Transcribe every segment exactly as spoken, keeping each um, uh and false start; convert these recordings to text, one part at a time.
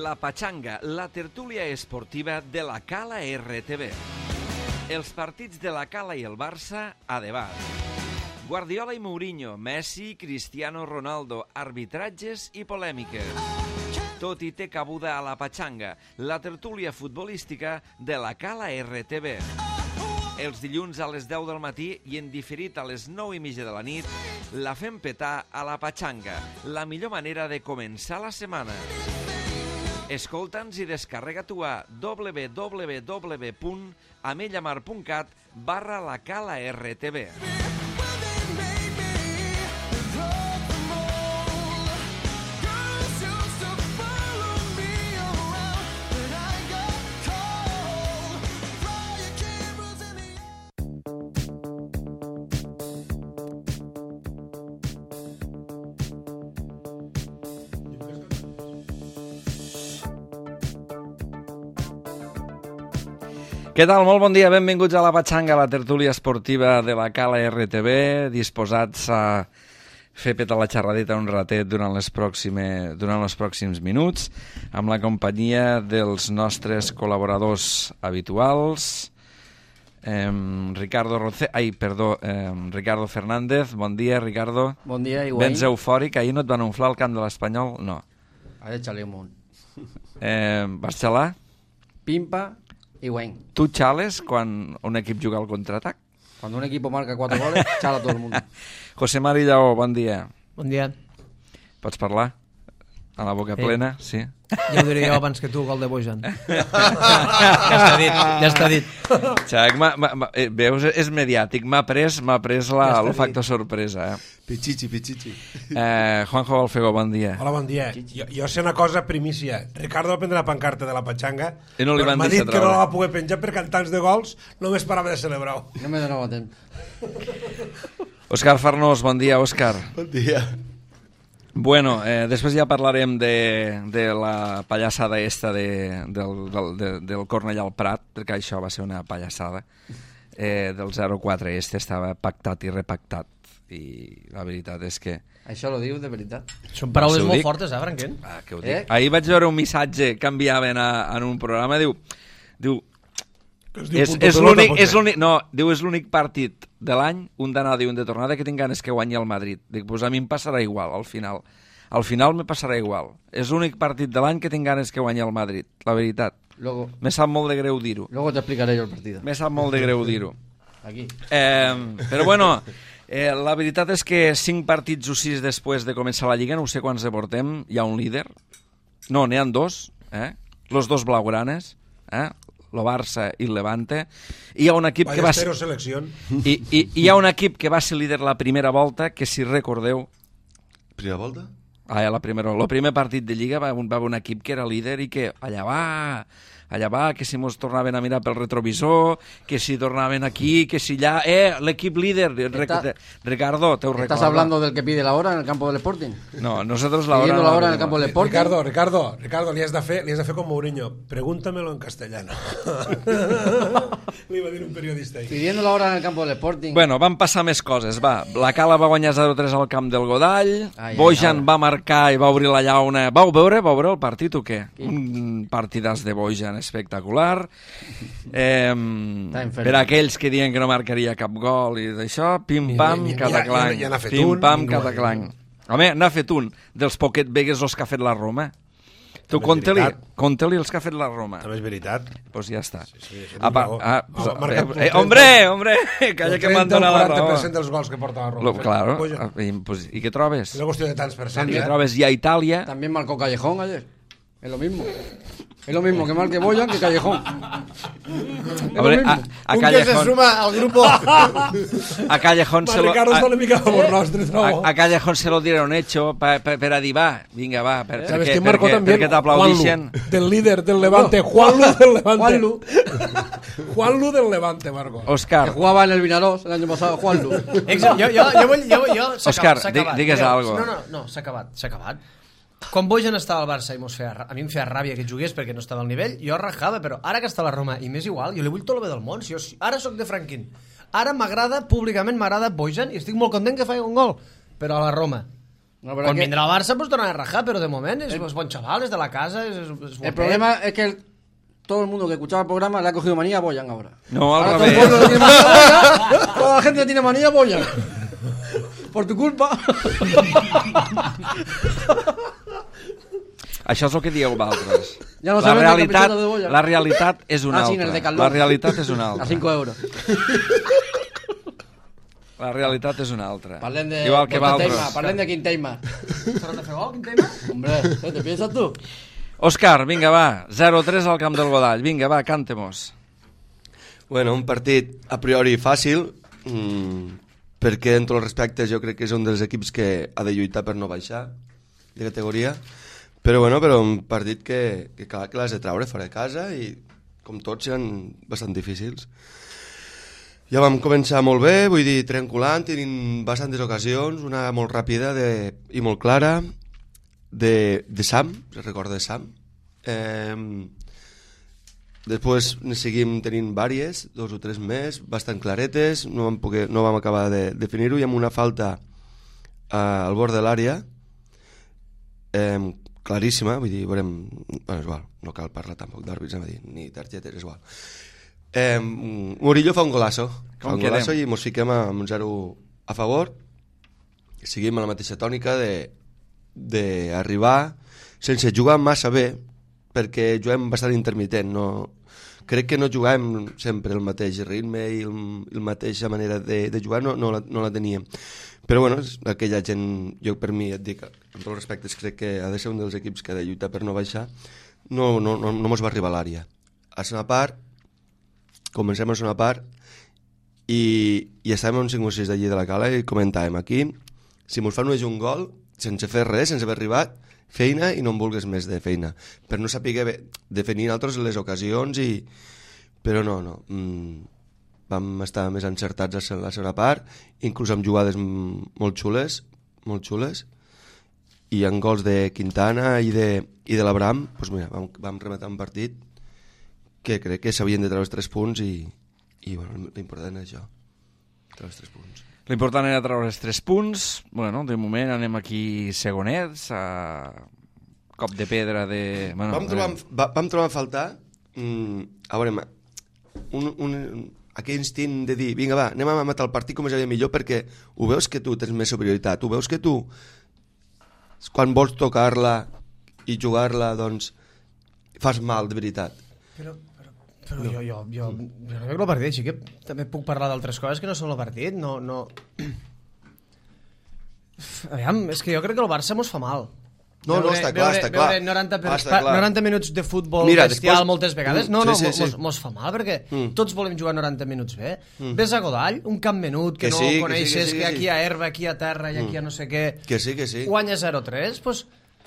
La Pachanga, la tertúlia esportiva de la Cala R T V. Els partits de la Cala i el Barça a debat. Guardiola i Mourinho, Messi, Cristiano Ronaldo, arbitratges i polèmiques. Tot i té cabuda a la Pachanga, la tertúlia futbolística de la Cala R T V. Els dilluns a les deu del matí i en diferit a les nou i mitja de la nit, la fem petar a la Pachanga, la millor manera de començar la setmana. Escolta'ns i descarrega-t'ho a w w w punt amellamar punt cat barra la Cala R T V. Què tal? Molt bon dia, benvinguts a la Pachanga, la tertúlia esportiva de la Cala R T V, disposats a fer petar la xerradeta un ratet durant, les pròxime, durant els pròxims minuts, amb la companyia dels nostres col·laboradors habituals, eh, Ricardo Roce... Ai, perdó, eh, Ricardo Fernández. Bon dia, Ricardo. Bon dia, igual. Vens eufòric? Ahir no et van inflar al camp de l'Espanyol? No. Ara xalé un munt. Eh, vas xalar? Pimpa i guany. Tu xales quan un equip juga al contraatac? Cuando un equipo marca cuatro goles, chala todo el mundo. José Mari Lleó, bon dia. Bon dia. Pots parlar? A la boca Sí. plena? Sí. Ja ho diré jo abans que tu, gol de Bojan. Ja està dit, ja està dit. Xac, ma, ma, ma, eh, veus, és mediàtic. M'ha pres, m'ha pres la, Ja està el dit. factor sorpresa. Eh? Pichichi, pichichi. Eh, Juanjo Balfego, bon dia. Hola, bon dia. Jo, jo sé una cosa primícia. Ricardo va prendre la pancarta de la Pachanga, I no li però van m'ha deixar dit que no treure. la va poder penjar per cantants de gols, només parava de celebrar-ho. No me donava temps. Òscar Farnós, bon dia, Òscar. Bon dia. Bueno, eh, després ja parlarem de, de la pallassada esta de, del, del, de, del Cornellà al Prat, perquè això va ser una pallassada. Eh, del zero quatre este estava pactat i repactat, i la veritat és que... Això lo diu de veritat. Són paraules Això ho molt dic. fortes, eh, Franquent? Ah, que ho Eh? dic. Ahir vaig veure un missatge que enviaven a, en un programa, diu... diu Que es diu és, punto és pelota, l'únic, potser. és l'únic, no, diu és l'únic partit de l'any, un d'anada i un de tornada, que tinc ganes que guanyi el Madrid. Dic, pues a mi em passarà igual, al final. Al final me passarà igual. És l'únic partit de l'any que tinc ganes que guanyi el Madrid, la veritat. Luego, Me sap molt de greu dir-ho. luego te explicaré yo el partido. Me sap molt de greu dir-ho. Aquí. Eh, però bueno, eh, la veritat és que cinc partits o sis després de començar la Lliga, no sé quants de portem, hi ha un líder. No, n'hi ha dos, eh? Los dos blaugranes, eh? El Barça i el Levante. I hi ha un equip que va ser... Ballesteros selecció. I, i, i hi ha un equip que va ser líder la primera volta, que si recordeu, Primera volta? ah, la primera, el primer partit de Lliga va, un- va haver un equip que era líder i que allà va, allà va, que si mos tornaven a mirar pel retrovisor, que si tornaven aquí, que si allà... Eh, l'equip líder, Está- Ricardo, te ho recordo. ¿Estás hablando del que pide la hora en el campo del Sporting? No, nosotros la hora... Pidiendo no la hora en el pedimos. campo del Sporting. Ricardo, Ricardo, Ricardo, li has de fer, li has de fer com Mourinho. Pregúntamelo en castellano. Li va dir un periodista ahí. Pidiendo la hora en el campo del Sporting. Bueno, van passar més coses, va. La Cala va guanyar zero tres al camp del Godall, Ai, ai, Bojan ai. va marcar i va obrir la llauna. Vau veure? Vau veure el partit o què? Qui? Un partidàs de Bojan espectacular. Eh, enferm. per aquells que diuen que no marcaria cap gol i d'això, pim-pam, Ni- ni- ni- cataclang. ja- ja n'ha fet un, Pim-pam, i no- cataclang. Home, n'ha fet un dels Pocket Vegas els que ha fet la Roma. Tu També és conta-li veritat. conta-li els que ha fet la Roma. També és veritat. Pues ja està. sí, això Ah, pa- raó. ah, pues, Ha marcat eh, eh, el hombre, hombre, calla El que m'han trenta o donat la quaranta raó. per cent dels gols que porta la Roma. Lo, claro. Bojan. Ah, I, pues, I què trobes? És una qüestió de tants per cent, I què eh? trobes? I a Itàlia... También marcó Callejón ayer. Es lo mismo. Es lo mismo que marque Boyan que Callejón. Es lo Hombre, mismo. a, a Un que se Callejón, suma al grupo. a Callejón Ma, se lo... Ricardo està una A, mica a favor nostre, trobo. a, a Callejón se lo dieron hecho pa, pa, per a dir, va, vinga, va, per, ¿Sabes perquè, quién marcó perquè, también? perquè t'aplaudixen. Juanlu, del líder del Levante. Juanlu del Levante. Juanlu. Juanlu del Levante, Marco. Que Òscar, jugaba en el Vinarós el año pasado, Juanlu. Exa- jo, jo, jo, vull, jo, jo, s'ha Òscar, acabat, s'ha di- acabat. digues Mireu, algo. No, no, no, s'ha acabat, s'ha acabat. Quan Bojan estava al Barça i mos feia, ra- a mi em feia ràbia que jugués perquè no estava al nivell, jo rajava, però ara que està a la Roma, i m'és igual, jo li vull tot el bé del món. Si jo, si- ara sóc de Franquín. Ara m'agrada, públicament m'agrada Bojan i estic molt content que faci un gol. Però a la Roma, No, però Quan que- vindrà al Barça pues tornarà a rajar, però de moment és, és bon xaval, és de la casa, és, és, és El problema es que el- todo el mundo que escuchaba el programa le ha cogido manía a Boyan ahora. No, al Ahora todo el revés. pueblo le tiene manía a Boyan, toda la gente le tiene manía a Boyan. Por tu culpa. Això és el que dieu vosaltres. Ja no la, sabem el realitat, capitano de Boya. la realitat és una Ah, sí, en el altra. Decathlon. La realitat és una altra. A cinco euros. La realitat és una altra. Parlem de, Igual que de Quinteima, vosaltres. parlem de Quinteima. Torna a fer gol, quin tema? Hombre, ¿qué te piensas tú? Òscar, vinga, va. zero tres al camp del Godall. Vinga, va, cante-mos. Bueno, un partit a priori fàcil, mmm, perquè en tots els respectes jo crec que és un dels equips que ha de lluitar per no baixar de categoria, però bueno, però un partit que, que clar que l'has de traure fora de casa i com tots eren bastant difícils. Ja vam començar molt bé, vull dir, trenculant, tenint bastantes ocasions, una molt ràpida de, i molt clara, de, de Sam, se recorda de Sam. Eh, després ne seguim tenint vàries, dos o tres més, bastant claretes, no vam, poder, no vam acabar de definir-ho, i amb una falta eh, al bord de l'àrea, eh, claríssima, vull dir, veurem, bueno, és igual, no cal parlar tampoc d'àrbits, anem a dir, ni targetes, és igual. Eh, Murillo fa un golasso, fa un golasso i mos fiquem amb un zero a favor, seguim a la mateixa tònica de d'arribar sense jugar massa bé, perquè juguem bastant intermitent, no, crec que no juguem sempre el mateix ritme i el, la mateixa manera de, de jugar, no, no, la, no la teníem, però bueno, aquella gent, jo per mi et dic, amb tots els respectes crec que ha de ser un dels equips que ha de lluitar per no baixar, no, no, no, no mos va arribar a l'àrea. A segona part comencem a segona part i, i estàvem a un cinc o sis d'allí de la Cala i comentàvem aquí, si mos fan només un gol sense fer res, sense haver arribat, feina i no en vulgues més de feina, per no saber definir altres les ocasions, i però no, no, mm, vam estar més encertats a la segona part, inclús amb jugades molt xules, molt xules, i en gols de Quintana i de, i de l'Abraham, doncs mira, vam, vam rematar un partit que crec que s'havien de treure els tres punts i, i bueno, l'important és això, treure els tres punts. L'important era treure els tres punts. Bueno, de moment anem aquí segonets, a cop de pedra de... Bueno, vam, trobar, va, vam trobar a faltar, mm, a veure, un, un, aquell instint de dir, vinga va, anem a matar el partit com és millor, perquè ho veus que tu tens més superioritat, ho veus que tu, quan vols tocar-la i jugar-la, doncs, fas mal, de veritat. Però, però, però jo, jo, jo, jo no veig el partit, així que també puc parlar d'altres coses que no són el partit, no, no... Aviam, és que jo crec que el Barça mos fa mal. No, no, està clar, veure, està clar. Veure noranta, per, Ah, està clar. noranta minuts de futbol Mira, bestial després- moltes vegades, Mm, no, no, sí, sí, sí. Mos, mos fa mal, perquè Mm. tots volem jugar noranta minuts bé. Ves a Godall, un camp menut, que, Que no sí, que sí, coneixes, que sí, que, que sí. aquí hi ha herba, aquí hi ha terra i aquí hi ha no sé què... Que sí, que sí. Guanya zero tres, doncs,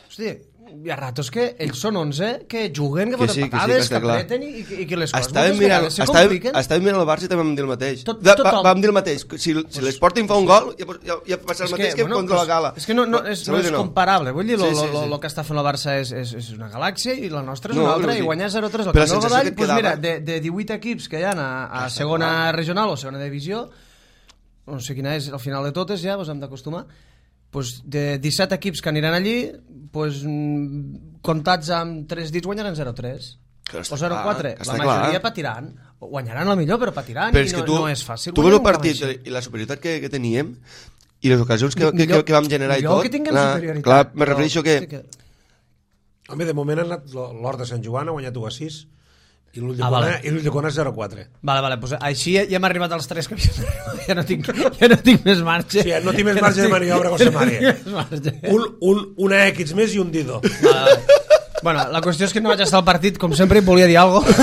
hosti, hi ha ratos que ells són onze, que juguen, que Que foten sí, que sí, que patades, que està clar. apreten i, i, i que les coses Estàvem moltes mirant, vegades se estàvem, compliquen. estàvem mirant el Barça i també vam dir el mateix. Tot- Va- tothom. va- Vam dir el mateix. Si, si l'Sporting fa un gol, ja, ja, ja passa el mateix que, bueno, contra la pues, Gala. És que no, no, és, no és comparable. Vull dir, el Sí, sí, sí. que està fent la Barça és, és, és una galàxia i la nostra és No, una altra, vull i dir, guanyar zero tres al però Camp la del sensació Godall, que et pues quedava- mira, de, de divuit equips que hi ha a, a segona regional o segona divisió, no sé quina és al final de totes, ja ens hem d'acostumar, pues de disset equips que aniran allí, pues, mm, comptats amb tres dits guanyaran zero tres. Que està O zero quatre. clar, que La està majoria clar. patiran. Guanyaran el millor, però patiran Però i és no, que tu, no és fàcil. tu guanyar veus el un camp partit així. i la superioritat que, que teníem i les ocasions que, que, Millor- que, que vam generar i millor tot. que tinguem clar, superioritat, clar, me però- refereixo que... sí que... Home, de moment ha anat l'Hort de Sant Joan, ha guanyat u a sis, i l'Ull de Ah, Cona, vale. i l'Ull de Cona zero a quatre. Vale, vale, pues així ja hem arribat als tres que havíem d'arribar. Ja no tinc, ja no tinc més marge. Sí, no tinc més Ja marge de tinc- maniobra, ja José no María. tinc més marge. Un, un, una X més i un Dido. Vale, vale. Bueno, la qüestió és que no vaig estar al partit, com sempre, i volia dir alguna cosa.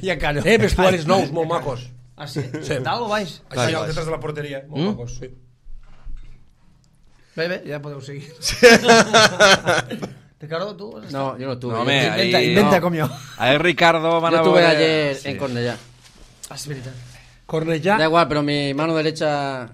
Ja callo. Eh, vestuaris nous, molt macos. Ah, sí? Sí. Dalt o baix? Això allà detrás de la porteria, molt Mm? macos, sí. Bé, bé, ja podeu seguir. Ricardo, tu? has estat? No, yo no estuve. No, Yo- home, Inventa, ahí- inventa no. com jo. Ahí Ricardo van yo a estuve veure- ayer Sí. en Cornellá. Ah, és veritat. Cornellà, Da igual, pero mi mano derecha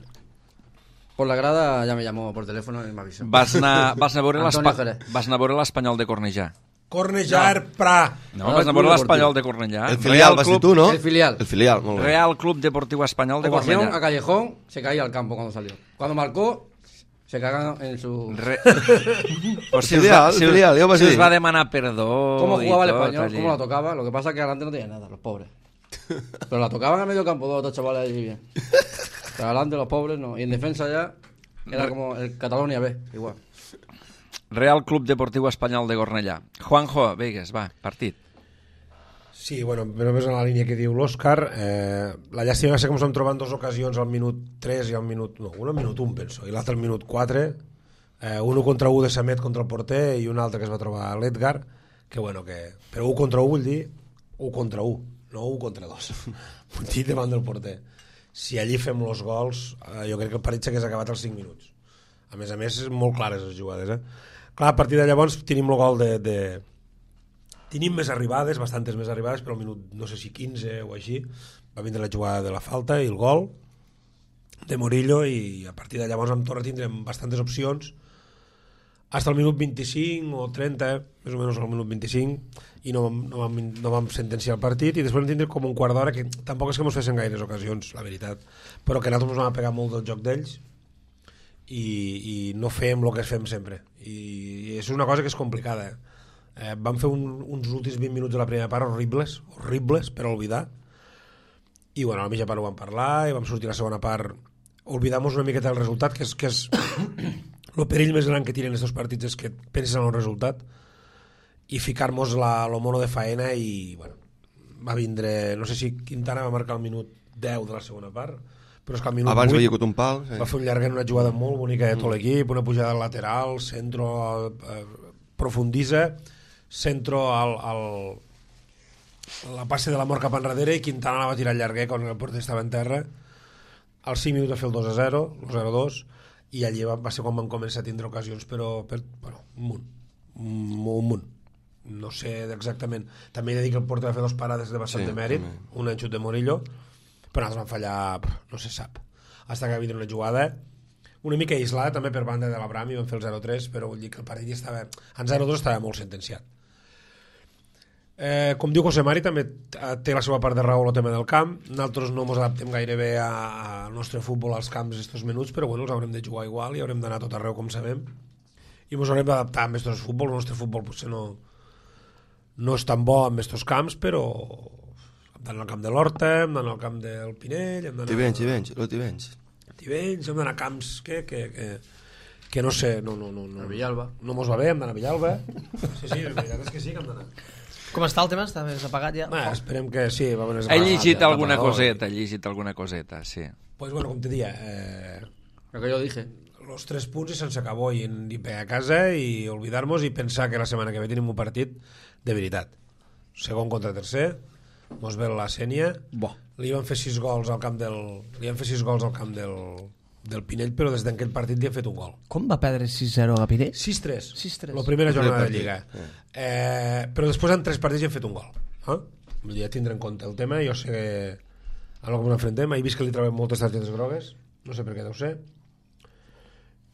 por la grada ya me llamó por teléfono y me avisó. Vas anar, vas anar a veure Antonio l'espa- Jerez. vas anar a veure l'Espanyol de Cornellà. Cornellà, Prat. No, vas a veure l'Espanyol de Cornellà. El filial vas dir tu, ¿no? El filial. El filial, muy bien. Real Club Deportivo Español de Ovación a Cornellà. Callejón, se caía al campo cuando salió. Cuando marcó, se cagan en su... Re... Pues si us Filial, va, si us, filial, ja ho vas si us dir. va demanar perdó ¿Cómo i jugaba el tot, español? allí. ¿Cómo la tocaba? Lo que pasa es que adelante no tenía nada, los pobres. Pero la tocaban a medio campo dos dos chavales allí bien. Pero adelante los pobres no. Y en defensa ya era como el Catalonia B, igual. Real Club Deportiu Espanyol de Cornellà. Juanjo, Vegas, va, partit. Sí, bueno, només en la línia que diu l'Òscar, eh, la llàstima va ser com s'han trobat en dues ocasions al minut tres i al minut... No, un al minut un, penso, i l'altre al minut quatre. Eh, un contra un de Samet contra el porter i un altre que es va trobar l'Edgar, que bueno, que... Però un contra un vull dir un contra un, no un contra dos. Vull dir davant del porter. Si allí fem els gols, eh, jo crec que el partit s'hagués acabat als cinc minuts. A més a més, molt clares les jugades, eh? Clar, a partir de llavors tenim el gol de... de... Tenim més arribades, bastantes més arribades, però al minut, no sé si quinze o així, va vindre la jugada de la falta i el gol de Murillo, i a partir de llavors amb Torre tindrem bastantes opcions fins al minut vint-i-cinc o trenta, eh? més o menys al minut vint-i-cinc, i no, no, vam, no vam sentenciar el partit, i després vam tindre com un quart d'hora que tampoc és que ens fessin gaires ocasions, la veritat, però que nosaltres ens vam pegar molt del joc d'ells i, i no fem el que fem sempre, i, i és una cosa que és complicada, eh? Eh, vam fer un, uns últims vint minuts de la primera part horribles, horribles per oblidar, i bueno, a la mitja part ho vam parlar i vam sortir a la segona part oblidar-nos una miqueta del resultat, que és, que és el perill més gran que tiren aquests partits, és que penses en el resultat i ficar-nos el mono de faena, i bueno, va vindre, no sé si Quintana va marcar el minut deu de la segona part, però és que al minut abans vuit havia hagut un pal, sí. va fer un llarguet, una jugada molt bonica de tot l'equip, una pujada al lateral, centro, eh, profundissa, centro al, al la passe de la mort cap enrere, i Quintana la va tirar llarguer quan el porter estava en terra. Als cinc minuts va fer el dos a zero, el zero a dos, i allí va, va ser quan van començar a tindre ocasions, però per, bueno, un munt, un, un munt. No sé exactament. També he de dir que el porter va fer dos parades de bastant Sí, de mèrit, també. un enxut de Murillo, però nosaltres vam fallar, no se sap. Hasta que va vindre una jugada una mica aislada també per banda de l'Abraham, i van fer el zero a tres, però vull dir que el partit ja estava, en zero a dos estava molt sentenciat. Eh, com diu José Mari, també té la seva part de raó el tema del camp. Nosaltres no ens adaptem gaire bé al nostre futbol als camps estos minuts, però bueno, els haurem de jugar igual i haurem d'anar tot arreu, com sabem, i ens haurem d'adaptar amb estos futbol. El nostre futbol potser no, no és tan bo amb estos camps, però hem d'anar al camp de l'Horta, hem d'anar al camp del Pinell, hem d'anar... Tivenys, Tivenys, lo Tivenys. Tivenys, hem d'anar a camps que, que, que, que no sé, no, no, no, no, A Villalba. no mos va bé, hem d'anar a Villalba. Sí, sí, la veritat és que sí que hem d'anar. Com està el tema? Està més apagat ja? Bah, esperem que sí. Va haver He llegit alguna tapador. coseta, he llegit alguna coseta, sí. Pues bueno, com te dia, eh, Lo que yo dije. los tres punts i se'ns acabó, i, i pegar a casa i oblidar-nos i pensar que la setmana que ve tenim un partit de veritat. Segon contra tercer, mos ve la Sènia, Bo. li van fer sis gols al camp del li van fer sis gols al camp del, del Pinell, però des d'aquell partit li han fet un gol. Com va perdre sis zero a Pinell? sis tres, sis tres. la primera jornada de partit. Lliga. Eh, però després en tres partits hi han fet un gol. Eh? Vull dir, ja tindre en compte el tema. Jo sé que a lo que ens enfrontem, he vist que li trobem moltes targetes grogues, no sé per què deu ser,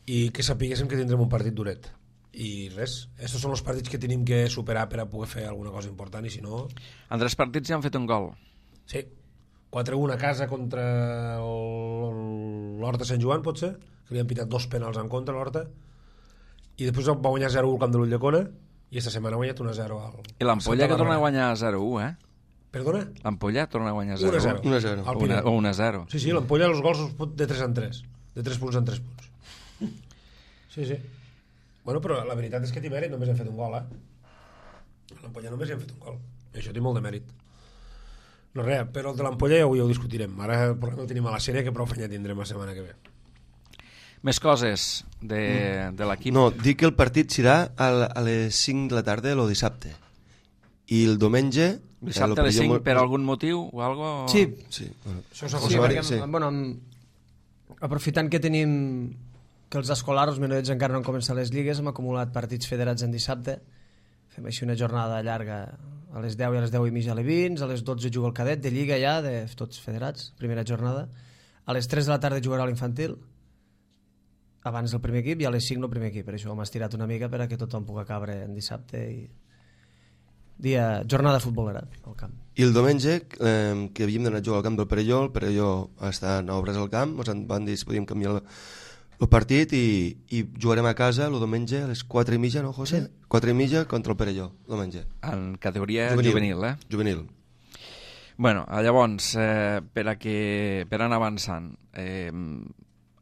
i que sapiguéssim que tindrem un partit duret. I res, estos són els partits que tenim que superar per a poder fer alguna cosa important, i si no... En tres partits ja han fet un gol. Sí, quatre un a casa contra el- l'Horta Sant Joan, potser, que li han pitat dos penals en contra a l'Horta, i després va guanyar zero u al camp de l'Ulldecona, i esta setmana ha guanyat un a zero al... I l'Ampolla Santa que torna a Bàrbara. guanyar zero a u, eh? Perdona? L'Ampolla torna a guanyar un a zero a zero. u. un a zero. Al O una- Pinell. o un a zero. Sí, sí, l'Ampolla els gols els pot de tres en tres, de tres punts en tres punts. Sí, sí. Bueno, però la veritat és que té mèrit, només hem fet un gol, eh? L'Ampolla només hem fet un gol. I això té molt de mèrit. No res, però el de l'Ampolla ja ho, ja ho discutirem. Ara el problema el tenim a la sèrie, que prou feina tindrem la setmana que ve. Més coses de, de l'equip. No, dic que el partit serà a, la- a les cinc de la tarda el dissabte. I el diumenge... Dissabte eh, a les lo cinc pillo per molt- algun motiu o algo? Sí, Sí, bueno. Això s'ha sí, sí, perquè, sí. bueno, amb- aprofitant que tenim que els escolars, els menuets encara no han començat les lligues, hem acumulat partits federats en dissabte, fem així una jornada llarga a les deu i a les deu i mitja a l'Evins, a les dotze juga el cadet de lliga ja, de tots federats, primera jornada, a les tres de la tarda jugarà l'infantil, abans del primer equip, i a les cinc el primer equip, per això ho hem estirat una mica per a que tothom pugui cabre en dissabte i, dia, jornada futbolera al camp. I el diumenge, eh, que havíem d'anar a jugar al camp del Perelló, el Perelló està en obres al camp, ens van dir si podíem canviar el, el partit i, i jugarem a casa el diumenge a les quatre i mitja, no, José? Sí. quatre i mitja contra el Perelló, diumenge. En categoria juvenil, juvenil eh? Juvenil. Bueno, llavors, eh, per, a que, per anar avançant, eh,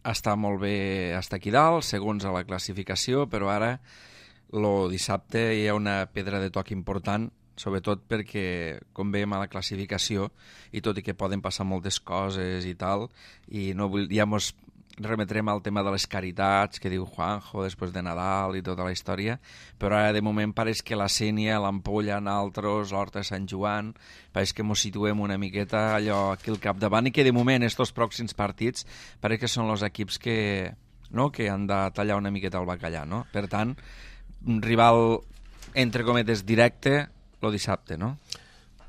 està molt bé estar aquí dalt, segons a la classificació, però ara, el dissabte, hi ha una pedra de toc important, sobretot perquè, com veiem a la classificació, i tot i que poden passar moltes coses i tal, i no vull, ja mos remetrem al tema de les caritats que diu Juanjo després de Nadal i tota la història, però ara de moment pareix que la Sénia, l'Ampolla, Naltros, l'Horta de Sant Joan, pareix que mos situem una miqueta allò aquí al capdavant i que de moment estos pròxims partits pareix que són els equips que, no, que han de tallar una miqueta el bacallà, no? Per tant, un rival entre cometes directe el dissabte, no?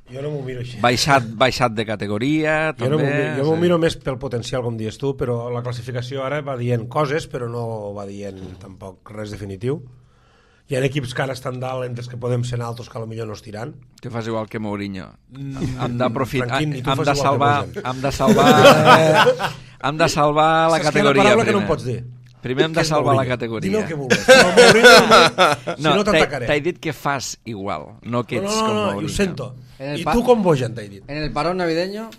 Jo no m'ho miro així. Baixat, baixat de categoria, jo també... No miro, jo m'ho miro més pel potencial, com dius tu, però la classificació ara va dient coses, però no va dient tampoc res definitiu. Hi ha equips que ara estan dalt, entre els que podem ser altres que potser no es tiran. Tu fas igual que Mourinho. Mm, hem d'aprofitar... Tranquil, hem de salvar... Hem de salvar... hem de salvar la Saps categoria, que la paraula primer. que no em pots dir? Primer hem de salvar la categoria. Dime el que vulguis. No, Mourinho, si no, no t'atacaré. T'he dit que fas igual, no que ets no, no, com no, Mourinho. No, ho sento. I tu com Bojan, t'he dit. En el parón navideño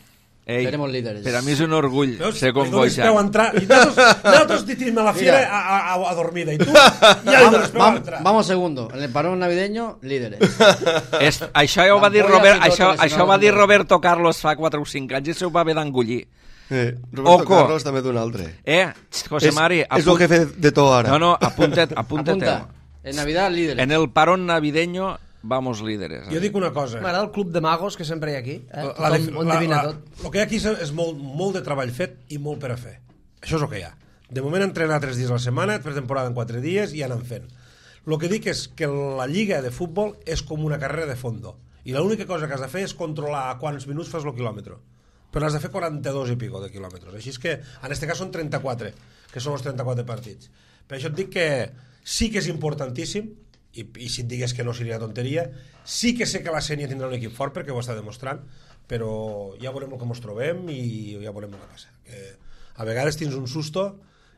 Ei, seremos líderes. Per a mi és un orgull Veus? ser com Bojan. Entrar. I nosaltres, nosaltres tirim a la fiera a, a, a dormida. I tu ja li dones peu a entrar. Vamos segundo. En el parón navideño, líderes. És, això ja ho va dir Robert, això, això va dir Roberto Carlos fa quatre o cinc anys i se ho va haver d'engollir. Eh, Roberto Oco. Carlos també d'un altre. Eh, José Mari... És, és el que he fet de tot ara. No, no, apunta't, apunta't. Apunta. En Navidad, líderes. En el parón navideño, vamos líderes. Jo dic una cosa. M'agrada el club de magos que sempre hi ha aquí. Eh? La, la, Tothom ho la, endevina la, tot. el que hi ha aquí és, és molt, molt de treball fet i molt per a fer. Això és el que hi ha. De moment entrenar tres dies a la setmana, per temporada en quatre dies i anem fent. El que dic és que la lliga de futbol és com una carrera de fondo. I l'única cosa que has de fer és controlar a quants minuts fas el quilòmetre. Però has de fer quaranta-dos i pico de quilòmetres. Així és que, en aquest cas, són trenta-quatre, que són els trenta-quatre partits. Per això et dic que sí que és importantíssim, i, i si et digués que no seria tonteria, sí que sé que la Sénia tindrà un equip fort perquè ho està demostrant, però ja veurem el que ens trobem i ja veurem el que passa. Que a vegades tens un susto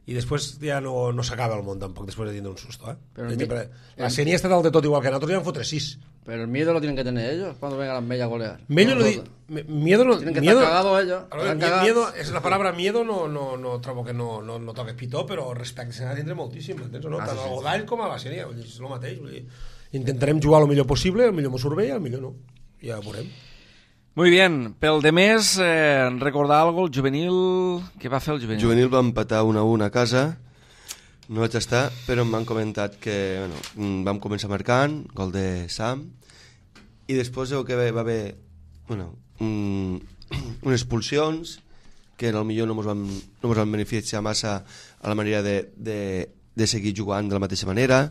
i després ja no, no s'acaba el món tampoc després de tindre un susto. Eh? Però mi... mi... La Sénia està dalt de tot igual que nosaltres, ja en fotre sis. Pero el miedo lo tienen que tener ellos cuando vengan las Mella a golear. Mello no di... Miedo no... Tienen que miedo... estar cagados ellos. Ver, cagados. Miedo, és la paraula miedo no, no, no trobo que no, no, no toques pitó, però respecte se n'ha de tindre moltíssim, entens o no? Ah, Tant sí, al sí, Godall com a la Sénia, vull dir, és el mateix. Vull dir, intentarem jugar el millor possible, el millor m'ho surt bé i el millor no. Ja ho veurem. Muy bien, pel de més, eh, recordar alguna cosa, el juvenil... Què va fer el juvenil? Juvenil va empatar un a un a casa, no vaig estar, però m'han comentat que bueno, vam començar marcant, gol de Sam, i després el que va haver bueno, un, unes expulsions que potser no ens van, no ens van beneficiar massa a la manera de, de, de seguir jugant de la mateixa manera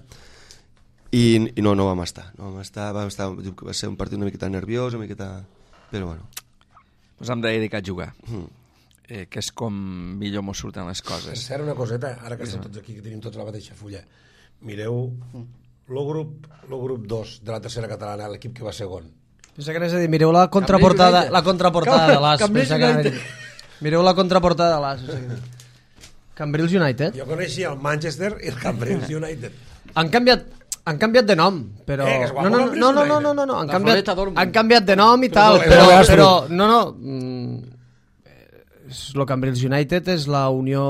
i, i no, no vam estar, no vam estar, vam estar va ser un partit una miqueta nerviós, una miqueta... però bueno. Pues hem de dedicar a jugar, Mm. eh, que és com millor mos surten les Per coses. cert, una coseta, ara que estem tots aquí, que tenim tots la mateixa fulla, mireu el grup, el grup dos de la tercera catalana, l'equip que va segon. Pensa que anaves a dir, mireu la contraportada, United. la contraportada de l'As. Cambrils Pensa que anaves a United. dir, mireu la contraportada de l'As. Cambrils United. Jo coneixia el Manchester i el Cambrils United. Han canviat han canviat de nom, però... Eh, que és guapo, no, no, Cambrils no, no, no, United. no, no, no, han, La canviat, Floreta Dortmund. han canviat de nom i tal, Però- però, però- però, no, no, mm, és el Cambrils United és la unió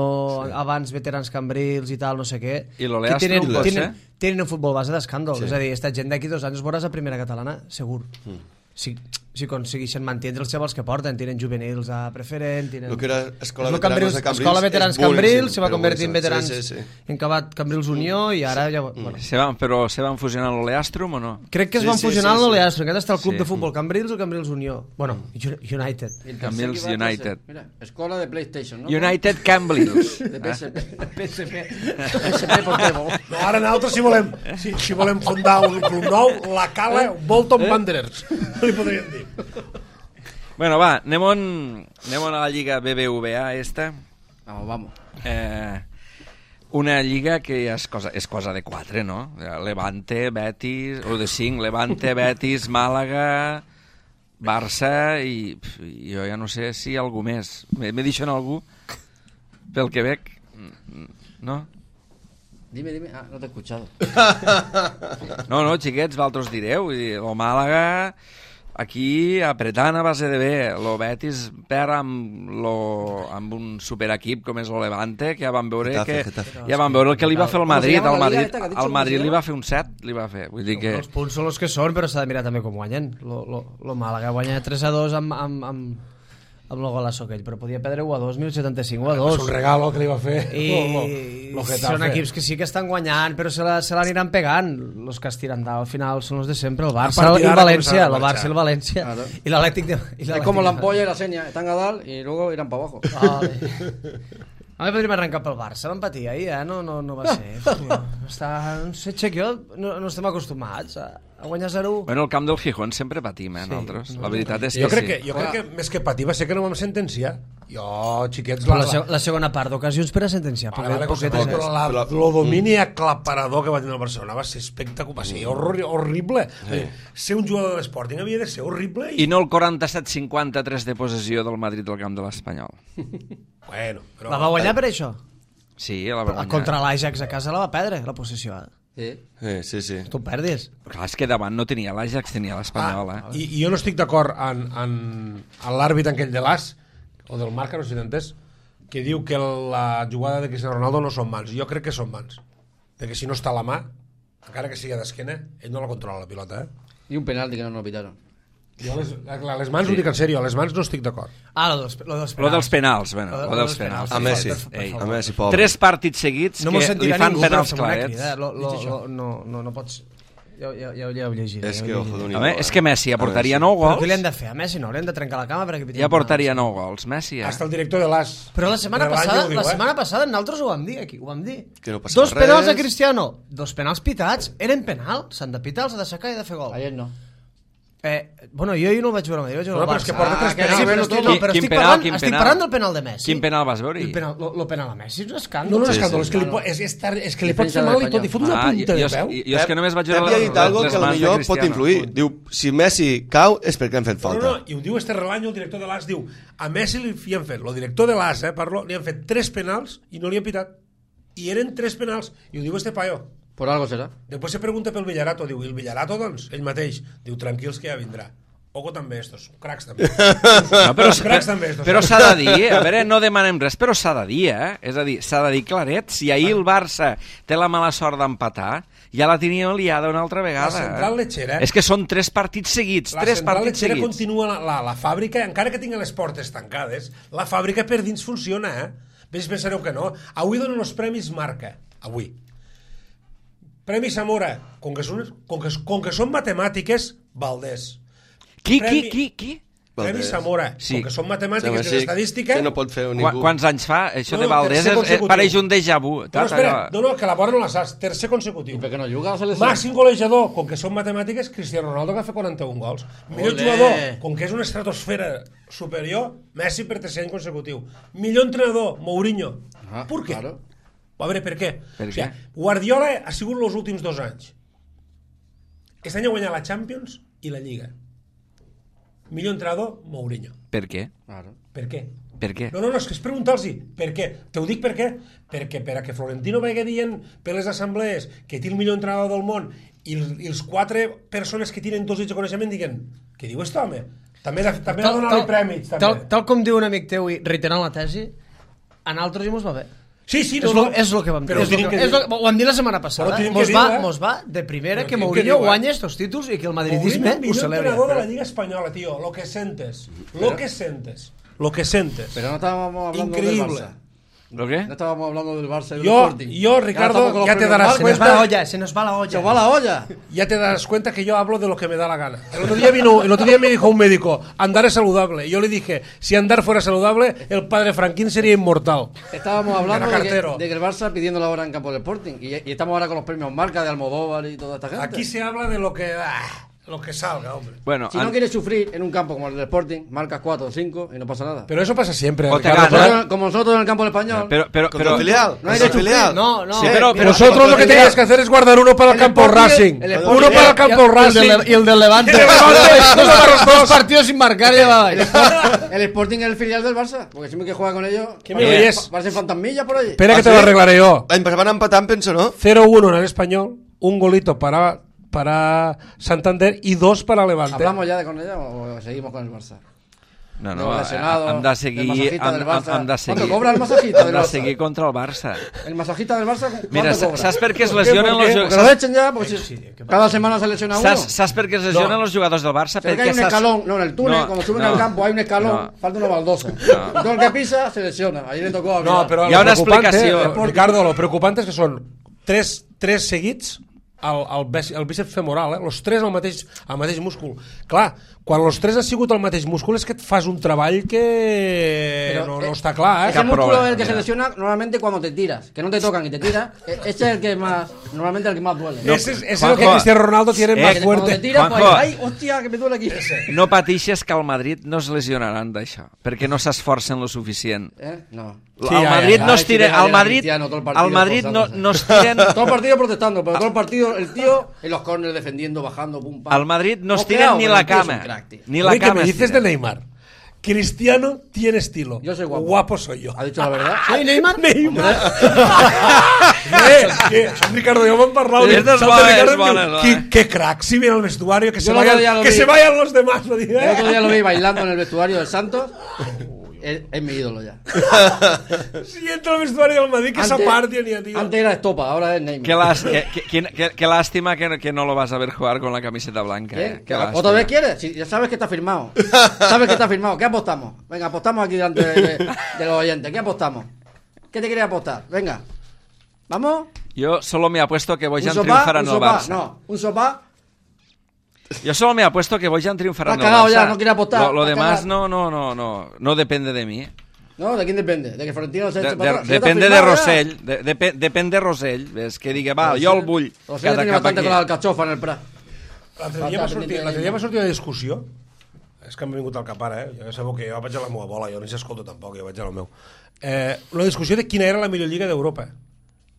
abans veterans Cambrils i tal, no sé què. I l'Oleastro, Que tenen, pot tenen, ser? tenen un futbol base d'escàndol, Sí. és a dir, esta gent d'aquí dos anys es veuràs a primera catalana, segur. Mm. Si, si aconsegueixen mantenir els xavals que porten, tenen juvenils a preferent, tenen... El que era Escola És el Veterans de Cambrils Escola Veterans és boníssim, Cambrils, se va però convertir en boníssim. veterans Sí, sí, sí. en acabat Cambrils Unió i ara ja... Bueno, Se van, però se van fusionar l'Oleastrum o no? crec que es Sí, van sí, fusionar sí, sí, sí. l'Oleastro, encara està el club Sí. de futbol Cambrils o Cambrils Unió. Bueno, United. Y el Cambrils tercer que va a United. ser, Mira, escuela de PlayStation, ¿no? United Cambrils. De P S P. P S P. P S P Pokémon. No, ara nosaltres, si volem, si, si volem fundar un club nou, la Cala Bolton Wanderers. No li podríem dir. Bueno, va, anem, on, anem on a la Lliga B B V A esta. Vamos, vamos. Eh, Una lliga que és cosa, és cosa de quatre, no? Levante, Betis, o de cinc, Levante, Betis, Màlaga, Barça i pf, jo ja no sé si algú més. Me, me deixen algú? Pel que veig, no? Dime, dime. Ah, no t'he escuchado. No, no, xiquets, vosaltres direu. El Màlaga, aquí, apretant a base de bé. El Betis perd amb, lo, amb un superequip com és el Levante, que ja vam veure Getafe, que Getafe. ja vam veure el que li va fer el Madrid. llama Al la Madrid, liga esta que ha dicho? al ¿Cómo Madrid se li llama? va fer un set, li va fer. Vull dir que... Els punts són els que són, però s'ha de mirar també com guanyen. Lo, lo, lo Màlaga guanya tres a dos amb, amb, amb, amb el golaço aquell, però podia perdre u a dos, mil setanta-cinc u a dos. És un regalo que li va fer. I lo, lo, lo són equips que sí que estan guanyant, però se la- se l'aniran pegant. Els que es tiren dalt al final són els de sempre, el Barça A partir i el d'ara València, començaran a el Barça marxar. i el València, Claro. i l'Atlètic de... i Es l'Atlètic como la de- ampolla y la seña. Están a dar y luego irán para abajo. Vale. A mi podríem arrencar pel Barça, vam patir ahir, eh? No, no, no va ser. Hòstia, està... No sé, Chequio, no, no estem acostumats a, a guanyar zero u. Bueno, el camp del Gijón sempre patim, eh, Sí, nosaltres. no, La veritat és Jo que crec sí. que, jo crec que més que patir va ser que no vam sentenciar. Jo, xiquets, Però la, la, seg la segona part d'ocasions per a sentenciar. Vale, vale, poquet, però, poquetes, però eh? la, Però- lo domini aclaparador que va tenir el Barcelona va ser espectacular, va ser horror, horrible. Sí. Ser un jugador de l'Sporting havia de ser horrible. I no el quaranta-set cinquanta-tres de possessió del Madrid al camp de l'Espanyol. Bueno, però... La va guanyar per això? Sí, la va guanyar. Contra l'Ajax a casa la va perdre, la possessió. Eh? Sí. Eh, sí, sí. Tu perdis. Clar, és que davant no tenia l'Ajax, tenia l'Espanyol, eh? Ah, i, I jo no estic d'acord en, en, en l'àrbit aquell de l'As, o del Marca, no sé si t'entens, que diu que la jugada de Cristiano Ronaldo no són mans. Jo crec que són mans. Perquè si no està a la mà, encara que sigui d'esquena, ell no la controla, la pilota, eh? Y un penalti que no nos pitaron. Jo les, les mans sí. Ho dic en sèrio, a les mans no estic d'acord. Ah, lo dels, lo dels penals. Lo dels penals, bueno, Lo de- lo lo dels dels penals. penals. A Messi, Per- per Ei, favor. a Messi, pobre. Tres partits seguits No m'ho que li sentirà fan ningú, però penals fem una clarets. crida. Lo, lo, lo, no, no, no pots... Ja, ja, ja, ja ho llegiré. És ja ho que, llegiré. ojo, d'un Home, és que Messi A aportaria Messi. nou Però què li gols. han de fer? A Messi no, haurem de trencar la cama perquè piti Ja aportaria penals. nou gols, Messi, eh? Hasta el director de l'As. Però la setmana de l'any passada, ho diu, la eh? setmana passada nosaltres ho vam dir aquí, ho vam dir. Que no passava Dos penals res. a Cristiano, dos penals pitats, eren penals, s'han de pitar, els ha d'aixecar i de fer gol. Ayer no. Eh, bueno, jo ahir no el vaig veure, jo vaig veure No, el però és Barça. que porta tres Ah, que penals, sí, però, no, estic, no, no, però quin estic, penal, parlant, quin estic penal? parlant del penal de Messi. Quin penal vas veure? El penal, lo, lo penal a Messi és un escàndol. No, no, no, Sí, escàndol, sí. és que li, po- és, és, tar, és que li pot Defensa fer de mal i l'Espanyol. tot, i fot una Ah, punta jo, de és- peu. jo és que només vaig Pep veure ja ha les, dit algo les que mans de potser pot Cristiano. influir. Diu, si Messi cau és perquè han fet No, falta. no, i ho diu este Relaño, el director de l'As, diu, a Messi li han fet, el director de l'As, eh, parlo, li han fet tres penals i no li han pitat. I eren tres penals, i ho diu este paio. Por algo será. Després se pregunta pel Villarato, diu, i el Villarato, doncs, ell mateix, diu, tranquils que ja vindrà. Oco també estos, cracs també. No, però cracs també estos. però s'ha de dir, a veure, no demanem res, però s'ha de dir, eh? És a dir, s'ha de dir claret, si ahir el Barça té la mala sort d'empatar, ja la tenia liada una altra La vegada. central eh? lletxera... És que són tres partits seguits, La tres central partits lletxera seguits. continua la, la, la fàbrica, encara que tingui les portes tancades, la fàbrica per dins funciona, eh? Ves, pensareu que no. Avui donen els premis Marca. Avui. Premi Zamora. Com que són, com que, com que són matemàtiques, Valdés. Qui, qui, Premi- qui, qui? Premi Valdés. Zamora. Sí. Com que són Sembla matemàtiques així i estadística... que no pot fer Qua, ningú. quants anys fa? Això No, de no, Valdés tercer és, eh, consecutiu. pareix un déjà vu. No, Tata, espera, allò- no, no, que la vora no la saps. Tercer consecutiu. ¿Y por qué no juga a la selección? Màxim golejador, com que són matemàtiques, Cristiano Ronaldo, que fa quaranta-un gols. Millor Olé. jugador, com que és una estratosfera superior, Messi per tercer any consecutiu. Millor entrenador, Mourinho. Ah, per què? claro. A veure, per què? Per o sigui, què? Guardiola ha sigut els últims dos anys. Aquest any ha guanyat la Champions i la Lliga. Millor entrenador, Mourinho. Per què? Claro. Per què? Per què? No, no, no, és que és preguntar-los per què. Te ho dic per què? Perquè per a que Florentino vagi dient per les assemblees que té el millor entrenador del món i els, i els quatre persones que tenen dos dits de coneixement diguen què diu este home? També, de, també ha donat prèmits. També. tal, tal com diu un amic teu i reiterant la tesi, a nosaltres ja mos va bé. Sí, sí, És no, lo, no. és lo que vam dir. Però És lo tenim que, que és lo, dir- ho vam dir la setmana passada. Però tenim Mos que va, dir, eh? mos va de primera Però que tenim que Mourinho dir, eh? guanya estos títols i que el madridisme Mourinho, ho millor celebra. entrenador de la Lliga Espanyola, tío. Lo que sientes. Lo que sientes. Lo que sientes. Pero no estábamos hablando Increíble. del Barça. ¿Lo qué? No estábamos hablando del Barça y del Yo- Sporting. yo, Ricardo, Ahora estamos con los ya te premios darás Se Marca. nos va la olla, se nos va la olla. ¡Se va la olla! Ya te das cuenta que yo hablo de lo que me da la gana. El otro día vino, el otro día me dijo un médico, andar es saludable. Y yo le dije, si andar fuera saludable, el padre Franquín sería inmortal. Estábamos hablando Era de que, cartero. de que el Barça pidiendo la hora en campo del Sporting. Y, y estamos ahora con los premios Marca de Almodóvar y toda esta gente. Aquí se habla de lo que... ah, Lo que salga, hombre. Bueno, Si no quieres sufrir en un campo como el del Sporting, marcas cuatro o cinco y no pasa nada. Pero eso pasa siempre. O te Ricardo. gana. Nosotros- como nosotros en el campo del Español. Pero, pero, Contra pero, el filial. no hay Contra de el filial. No, no. Sí, pero- eh, pero- Vosotros lo que el tenéis Real- que hacer es guardar uno para el el campo Sporting- Racing, el Sporting- uno para el campo y el Racing. del- y el del Levante. Y el Levante, dos, par- dos partidos sin marcar y ya va. El Sporting es el filial del Barça, porque siempre que juega con ellos. ¿Qué me oyes? Parecen fantasmillas por allí. Espera que ¿Ah, te lo sí? arreglaré yo. L'any passat van empatar, em penso, no? cero uno en el Español, un golito para, para Santander y dos para Levante. ¿Hablamos ya de con ella o seguimos con el Barça? no, Luego no, lesionado, hem de el seguir, masajista hem, del hem, Barça. hem de seguir, ¿Cuánto cobra el masajista del hem de Barça? seguir contra el Barça. El masajista del Barça, ¿cuánto Mira, cobra? saps per què es ¿Por qué? lesionen ¿Por los qué? Que jugadors? lo echen ya, porque si- cada semana se lesiona uno. Saps, saps per què es lesionen No. los jugadors del Barça? Se ve que hay un saps- escalón, no, en el túnel, No, cuando suben no, al campo hay un escalón, no. falta una baldosa. Y todo el que pisa se lesiona. Ahí le tocó a No, Vidal. però Hi ha lo una preocupante, explicació. eh, Ricardo, lo preocupante és que són tres, tres seguits al, al, bíceps- al bíceps femoral, eh? Los tres al mateix, al mateix múscul. Clar, quan los tres han sigut al mateix múscul és que et fas un treball que Pero, no, eh, no està clar, eh? Ese Cap músculo problema, es el que se mira. lesiona normalmente cuando te tiras, que no te tocan y te tiras. e- Ese es el que más, normalmente el que más duele. Ese es, ese es Juanjo, lo que Cristiano Ronaldo tiene eh, más Que cuando te fuerte. tiras, pues, Juanjo. ay, hostia, que me duele aquí. No pateixes que al Madrid no es lesionaran d'això, perquè no s'esforcen lo suficient. ¿Eh? No. Sí, al ja, Madrid ja, no ja. es tira, Ay, sí, al deja Madrid, Cristiano todo el partido al Madrid no, esforzándose. no es tiren, Todo el partido protestando, pero todo el partido, el tío en los corners defendiendo, bajando, pum, pam. al Madrid no es Mosqueado, tiren ni pero la el tío es un cama, crack, tío. ni la Oye, ¿qué cama me es dices de tiren. Neymar? Cristiano tiene estilo. Yo soy guapo. Guapo soy yo. ¿Ha dicho la verdad? ¿Soy Neymar? Neymar. eh, que, Ricardo, ya me han parlado. Esta es Salta buena, Ricardo, es buena, ¿no? qué, qué crack, si viene al vestuario, que, se el otro vayan, día lo que vi. se vayan los demás. Lo digo, El eh. otro día lo vi bailando en el vestuario del Santos. Es, es mi ídolo ya. Si entra al vestuario del Madrid, que esa parte ni a tío. antes era Estopa, ahora es Neymar. Qué, las- qué- qué- qué- qué- qué lástima que, que no lo vas a ver jugar con la camiseta blanca. ¿Qué? eh. Qué lástima. ¿Otra vez quieres? Si ya sabes que está firmado. Sabes que está firmado. ¿Qué apostamos? Venga, apostamos aquí delante de, de- de los oyentes. ¿Qué apostamos? ¿Qué te quieres apostar? Venga. ¿Vamos? Yo solo me apuesto que ¿Un Bojan sopá? triunfará ¿Un en el sopá? Barça. No. ¿Un sopá? Yo solo me apuesto que Bojan triunfará en Te el has Barça. cagado ya, no quiere apostar, Lo, lo te has demás cagado. no, no, no, no, no depende de mí. eh. ¿No? ¿De quién depende? ¿De que Florentino se De, eche de, para atrás? Si ya está depende de firmado ya. Rosell, de, depe- depèn de Rosell, és que digui, va, jo el vull Rosell cada tiene cap bastante aquí. con la alcachofa en el Prat. L'altre dia m'ha sortit, l'altre dia m'ha sortit una discussió. És que m'ha vingut al cap ara, eh? Ja sabeu que jo vaig a la meva bola, jo no s'escolto tampoc, jo vaig a la meu. Eh, una discussió de quina era la millor lliga d'Europa.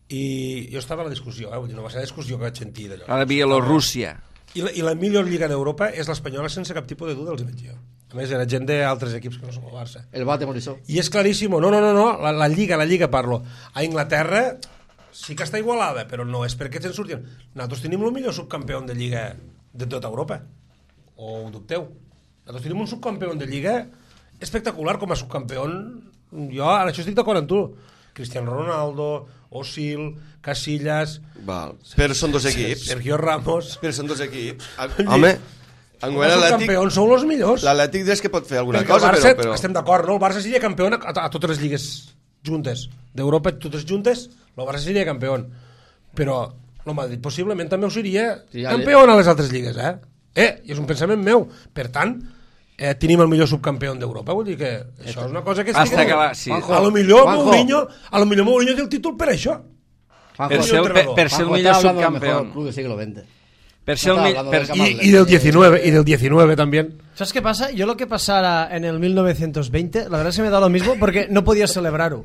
I jo estava a la discussió, eh? Vull dir, no va ser la discussió que vaig sentir d'allò. A la Bielorússia. I la, I la millor lliga d'Europa és l'espanyola sense cap tipus de duda, els hi vaig dir jo. A més, era gent d'altres equips que no som el Barça. El bate Morisó. I és claríssim, no, no, no, no, la, la lliga, la lliga parlo. A Inglaterra sí que està igualada, però no és perquè se'n surtin. Nosaltres tenim el millor subcampió de lliga de tota Europa. O ho dubteu? Nosaltres tenim un subcampió de lliga espectacular com a subcampió. Jo en això estic d'acord amb tu. Cristiano Ronaldo, Osil, Casillas... Val. Però són dos equips. Sergio Ramos... Però són dos equips. Home, enguany Els l'Atlètic... campions sou els millors. L'Atlètic és que pot fer alguna Perquè el cosa, Barça, però... però... estem d'acord, no? El Barça seria campió a, a, a totes les lligues juntes. D'Europa, totes juntes, el Barça seria campió. Però el Madrid possiblement també ho seria Sí, ja campió a les altres lligues, eh? Eh, i és un pensament meu. Per tant, eh, tenim el millor subcampió d'Europa. Vull dir que això és una cosa que... Hasta que la- sí. Juanjo, A lo millor Juanjo. Mourinho, a lo millor Mourinho té el títol per això. Juanjo, Per ser el, per, per ser el Juanjo, millor está hablando del subcampió. mejor club del siglo veinte. Per ser el Estaba mi- hablando per, del Camp I, i del diecinueve, y del diecinueve también. ¿Sabes qué pasa? Yo lo que pasara en el mil novecientos veinte, la verdad es que me da lo mismo porque no podía celebrarlo.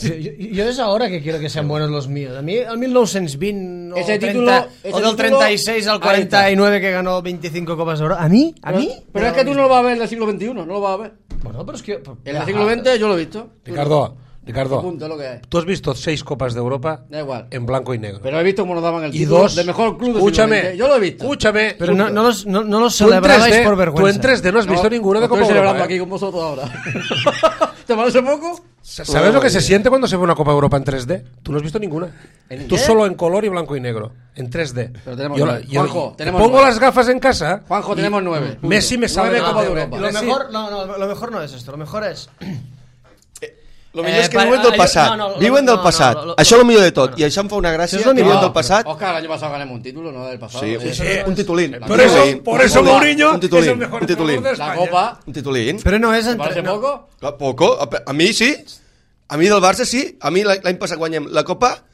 Yo, yo- yo es ahora que quiero que sean buenos los míos. A mí el mil novecientos veinte o, Ese treinta, título- ese o del título- treinta y seis al cuarenta y nueve que ganó veinticinco copas de oro. ¿A mí? ¿A Pero, mí? pero es que tú no lo vas a ver en el siglo veintiuno, no lo vas a ver. Bueno, pero es que... En el siglo veinte yo lo he visto. Ricardo, Ricardo, Punto, es lo que hay. tú has visto seis copas de Europa Da igual. en blanco y negro. Pero he visto cómo nos daban el y título dos, de mejor club del escúchame, siglo veinte. Yo lo he visto. Escúchame, Pero no, no los, no, no los tú en celebrabais tres D, por tú vergüenza. en tres D no has visto ninguno de Estoy Copa celebrando Europa. aquí ¿eh? con vosotros ahora. ¿Te parece poco? ¿Sabes lo que se siente cuando se ve una Copa Europa en tres D? Tú no has visto ninguna. ¿En Tú qué? solo en color y blanco y negro, en tres D. Pero tenemos Yo- nueve. yo- Juanjo, te tenemos pongo nueve. las gafas en casa. Juanjo, y tenemos nueve. Punto. Messi me sabe Nueve de Copa de Copa Europa. Lo Messi- mejor, no, no, lo mejor no es esto. Lo mejor es... Lo millor Eh, és que pa- viuen del ah, passat. no, no, lo- Viuen no, del no, passat. no, lo- Això és el millor de tot. no, no. I això em fa una gràcia. Això és lo que millor. viuen del No, passat. Oscar, el año pasado ganamos un título, no del pasado. Sí, Eh, sí, un titulín. Por Un eso, titulín. por eso Un titulín. Mourinho Un titulín. es el mejor Un titulín. entrenador de La España. Copa. Un titulín. Pero no es... ¿Te entre- parece no. poco? A poco. A a mi sí. A mi del Barça sí. A mi l'any passat guanyem la Copa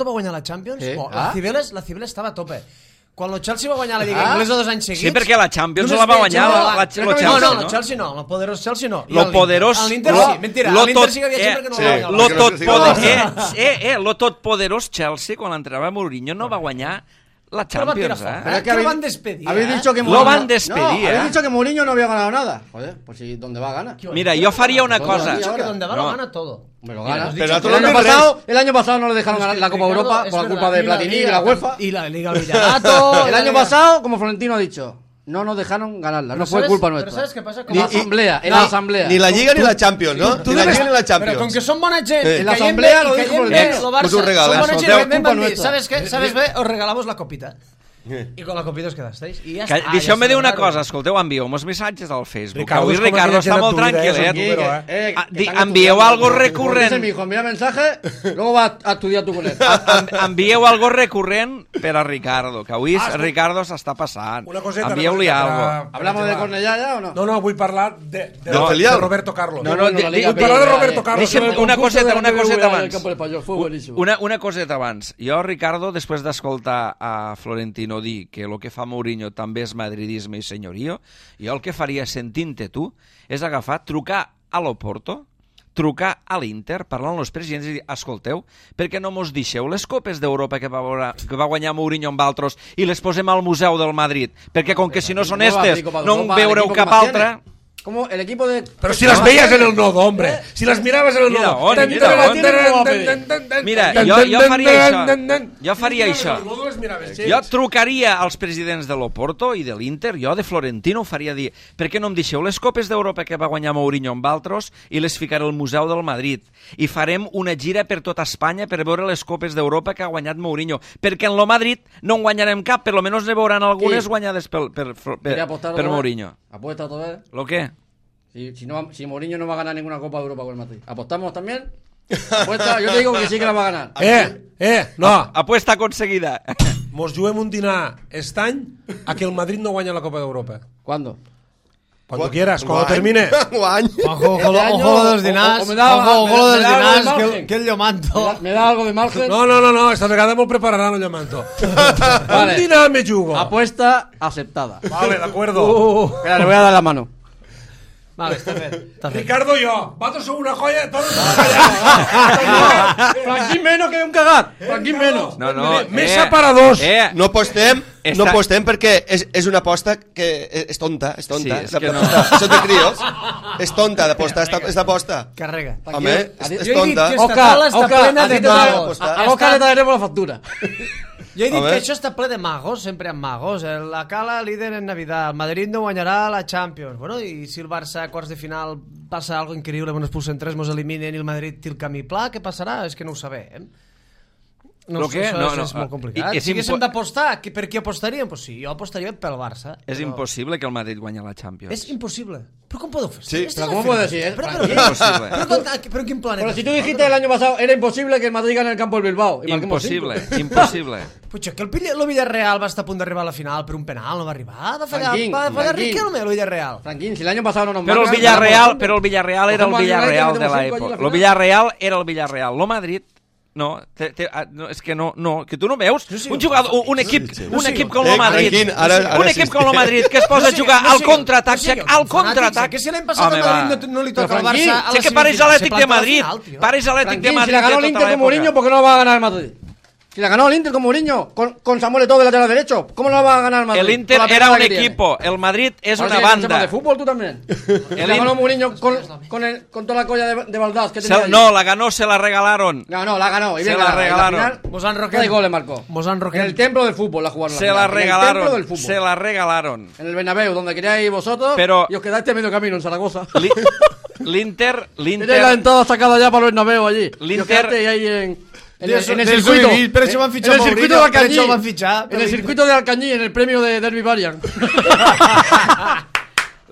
Porto va guanyar la Champions, Sí. oh, Ah. la, Cibeles, la Cibeles estava a tope. Quan el Chelsea va guanyar la Lliga Inglesa dos anys seguits... Sí, perquè la Champions només la va veig guanyar el- la, la, No, el Chelsea, no, no? el Chelsea no, el poderós Chelsea no. I Lo el- poderós... L'Inter lo- sí, mentira, lo l'Inter tot- sí que havia gent perquè no sí, va guanyar. Lo perquè tot no sé si poder, va eh, eh, eh, lo tot poderós Chelsea, quan l'entrenava Mourinho, no va guanyar la Però va tirar Champions, fora. eh? Pero es que habéis- lo van despedir, Habéis ¿eh? dicho que Lo Mourinho- van despedir, No, habéis ¿eh? dicho que Mourinho no había ganado nada. Joder, pues si ¿dónde va a ganar? Mira, yo faria una Todo cosa. el Dicho que ahora. donde va No. lo gana todo. Me lo Mira, gana. has Pero dicho a que todo el, lo año que pasado, el año pasado no le dejaron Es ganar que, la Copa Ricardo, Europa es por la verdad, culpa de y la Platini y Liga- la UEFA. Y la Liga Villarato. El año pasado, como Florentino ha dicho, no nos dejaron ganarla. No Pero fue ¿sabes- culpa pero nuestra. ¿sabes qué pasa? En la Como- asamblea, en No, la asamblea. Ni la Lliga ni la Champions, no? Tu Ni la debes- Lliga ni la Pero con Champions. que son bona gent, Eh. i En la caiem asamblea bé, lo i dijo caiem el bé, Barça. lo Barça, Pues un regalo, son eh. bona gent, Escolteu, i vam culpa dir, nuestra. ¿sabes qué? ¿Sabes bé? Os regalamos la copita. I con la copita us quedasteis. I ja Que, està. Deixeu-me ja dir una està, cosa, escolteu, envieu uns missatges al Facebook. Ricardo Avui és com Ricardo aquella està gent molt a tu vida, eh, és un tranquil·let. número, Eh, eh, Ah, que di- están envieu estudiando. algo Como recurrent. dice mi hijo, envía mensaje, luego va a estudiar tú con él. En- Envieu algo recurrent per a Ricardo, que avui Ah, escolta. Ricardo s'està passant. Una coseta, Envieu-li una algo. coseta per- ¿Hablamos de per- Cornellà ya o no? No, no, vull parlar de, de, Del de, filial. Roberto Carlos. No, no, Bueno, di- la di- Liga vull parlar de Peña, Roberto eh. Carlos. Deixa'm El una concurso coseta, de la una B B V coseta del abans. campo del Pallós, fue buenísimo. Una, una coseta abans. Jo, Ricardo, després d'escoltar a Florentino dir que el que fa Mourinho també és madridisme i senyorio, jo el que faria sentint-te tu és agafar, trucar a l'Oporto, trucar a l'Inter, parlar amb els presidents i dir, escolteu, per què no mos deixeu les copes d'Europa que va, veure, que va guanyar Mourinho amb altres i les posem al Museu del Madrid? Perquè com que si no són ¿Cómo va a estes pedir Copa de no en Europa? veureu El equipo cap que más altra... tiene. ¿Cómo el equipo de... Pero si las veías en el nodo, hombre. Si las mirabas en el Mira, nodo. on, Tan, mira, tan, on. tan, tan, tan, tan, tan, Mira, tan, jo, tan, jo tan, faria tan, això. tan, tan. Jo faria Si això. miraves en el nodo, les miraves, sí. Jo trucaria als presidents de l'Oporto i de l'Inter, jo de Florentino ho faria dir, per què no em deixeu les copes d'Europa que va guanyar Mourinho amb altres i les ficaré al Museu del Madrid? I farem una gira per tota Espanya per veure les copes d'Europa que ha guanyat Mourinho, perquè en lo Madrid no en guanyarem cap, per lo menos ne veuran algunes Sí. guanyades per, per, per, ¿Quiere per, apostar per otra vez? Mourinho. Apuesta otra vez. Lo què? Si, si, no, va- si Mourinho no va a ganar ninguna Copa de Europa con el Madrid. ¿Apostamos también? Apuesta, yo te digo que sí que la va a ganar. Eh, eh, no. Apuesta aconseguida. Mos juguem un dinar aquest any a que el Madrid no guanya la Copa d'Europa. ¿Cuándo? Cuando quieras, cuando termine. Guany. Ojo, ojo, Este año, ojo lo de los o- dinars. o me da- Ojo, me- ojo lo me de los da algo de dinars, que, margen. el- que el ¿Me Llomanto. da, me da algo de margen? No, no, no, no, esta vegada me'l prepararan el llamanto. Vale. Un dinar me jugo. Apuesta aceptada. Vale, de acuerdo. Espera, le voy a dar la mano. Vale, està fet. Està fet. Ricardo y yo, vatos son una joya, todos son una joya. Franquín menos que un cagat. Franquín menos. No, no. Mesa para dos. Eh, No apostem, Està- no apostem perquè és, és una aposta que és tonta, és tonta. Sí, és és que no. aposta. Són de crios. És tonta d'apostar, és és d'aposta. Carrega. Home, és, és Jo he dit tonta. que esta taula està plena de magos. A, a Oscar le traeremos la factura. Jo he dit A que ver. això està ple de magos, sempre amb magos. El- La Cala líder en Navidad, el Madrid no guanyarà la Champions. Bueno, i si el Barça a quarts de final passa algo increïble, bueno, expulsen tres, mos eliminen i el Madrid té el camí pla, què passarà? És que no ho sabem. No, Lo què? això No, és, no, és molt i- complicat. és Si haguéssim impo- d'apostar, qui- per qui apostaríem? Pues sí, jo apostaria pel Barça. és però impossible que el Madrid guanyi la Champions. És impossible. Però com podeu fer? Sí, Estes però com puede afirmacions? ser, eh? Però, però, Tranquil. però, Impossible. però, però, però en quin planeta? Pero si tú dijiste el año pasado, era imposible que el Madrid gane el campo del Bilbao. Y marquemos Impossible, cinco. impossible. Puigdemont, que el, Pilla- el Villarreal va estar a punt d'arribar a la final per un penal, no va arribar. Va fallar, Franquín, va fallar Franquín. Riquelme, el Villarreal. Franquín, si el año pasado no nos Però el marcan, Villarreal, ganamos però el Villarreal era el Cogemos al United, Villarreal de metemos cinco allí a la l'època. El final. Villarreal era el Villarreal. Lo Madrid no, te, te, ah, no, és que no, no, que tu no veus un jugador, un, un equip, un equip com Eh, el Madrid, Franquín, ara- ara un sí. equip com el Madrid que es posa a jugar al contraatac, al contraatac. Que si l'any passat al Madrid no, no li toca al Franquín, Barça a Sé la que pares semifinal, Atlètic se de planta a la Madrid, final, tio. pares Atlètic de Franquín, Madrid si la ganó de el tota Inter con l'època. Mourinho, ¿por qué no la va a ganar el Madrid? Si la ganó el Inter con Mourinho, con, con Samuel Eto'o de lateral derecho, ¿cómo no la va a ganar el Madrid? El Inter Con la era pegada un que tiene. equipo, el Madrid és Ahora una sí que sepas banda. de fútbol tú también. Si El la ganó In- Mourinho con, con, el, con toda la colla de, de Valdás que tenía Se- allí. no, la ganó, se la regalaron. No, no, la ganó. Y Se bien la ganada. En regalaron. final, Mos han tres roquet. goles marcó. Mos han En roquet. el templo del fútbol la jugaron. Se final. la En el templo regalaron, del fútbol. se la regalaron. En el Bernabéu, donde queríais vosotros, Pero- y os quedaste a medio camino en Zaragoza. Li- L'Inter, Tenéis la l'Inter, entrada sacada ya para el Bernabéu allí. Y os L'Inter- quedasteis ahí en, en, De el, eso- en el de eso circuito. vivís, pero eso van en fichado el circuito de Mourinho, pero Alcañí. eso van fichado, En pero- el circuito de Alcañí, en el premio de Derby Varian.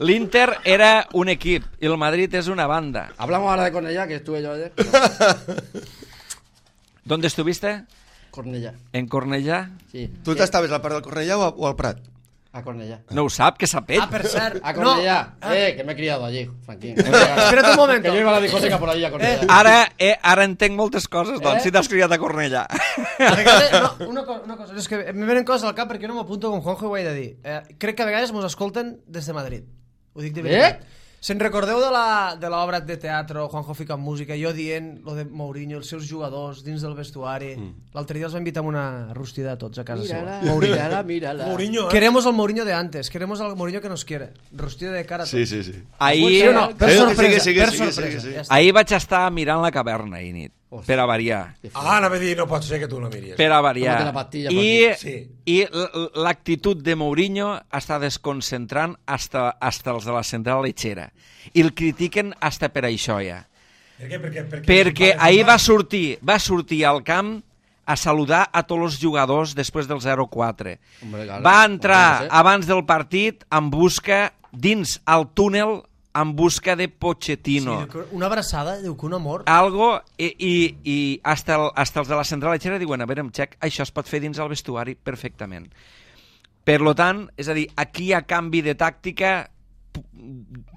l'Inter era un equip i el Madrid és una banda. Hablamos ahora de Cornellá, que estuve yo ayer. ¿Dónde estuviste? Cornellá, En Cornellà. sí. Tu t'estaves a la part del Cornellà o, a- o al Prat? A Cornellà. No ho sap, que sap ell. Ah, per cert. A No. Cornellà. Ah. Eh, que me he criado allí, Franquín. Espera't un moment. Que yo iba a la discoteca por allí a Cornellà. Ara, eh, ara entenc moltes coses, doncs, Eh? si t'has criat a Cornellà. A vegades, no, una, cosa, una cosa, és que em venen coses al cap perquè jo no m'apunto com Juanjo i ho he de dir. Eh, crec que a vegades mos escolten des de Madrid. Ho dic de veritat. Eh? Se'n recordeu de la de l'obra de teatre, Juanjo fica en música, jo dient lo de Mourinho, els seus jugadors dins del vestuari. Mm. L'altre dia els va invitar a una rostida a tots a casa Mírala, seva. mírala, mírala. Mourinho, eh? Queremos al Mourinho de antes, queremos al Mourinho que nos quiere. Rostida de cara a tots. Sí, sí, sí. Ahir, Sí o no? Per Sí, sorpresa, sí, sí, per sí, sorpresa. sí, sí. Ja està. ahir vaig estar mirant la caverna ahir nit, per a variar. Ah, anava a dir, no pot ser que tu no miris. Per a variar. Tómate la pastilla, I, Sí. i l- l'actitud de Mourinho està desconcentrant hasta, hasta els de la central lechera. I el critiquen hasta per això ja. Per què? Perquè, perquè, Perquè ahir va sortir, va sortir al camp a saludar a tots els jugadors després del zero quatre. Hombre, claro. Va entrar Hombre, abans del partit en busca, dins al túnel, en busca de Pochettino. Sí, una abraçada, diu que un amor. Algo, i, i, i hasta, el, hasta els de la central lechera diuen, a veure, em xec, això es pot fer dins el vestuari perfectament. Per lo tant, és a dir, aquí hi ha canvi de tàctica, p-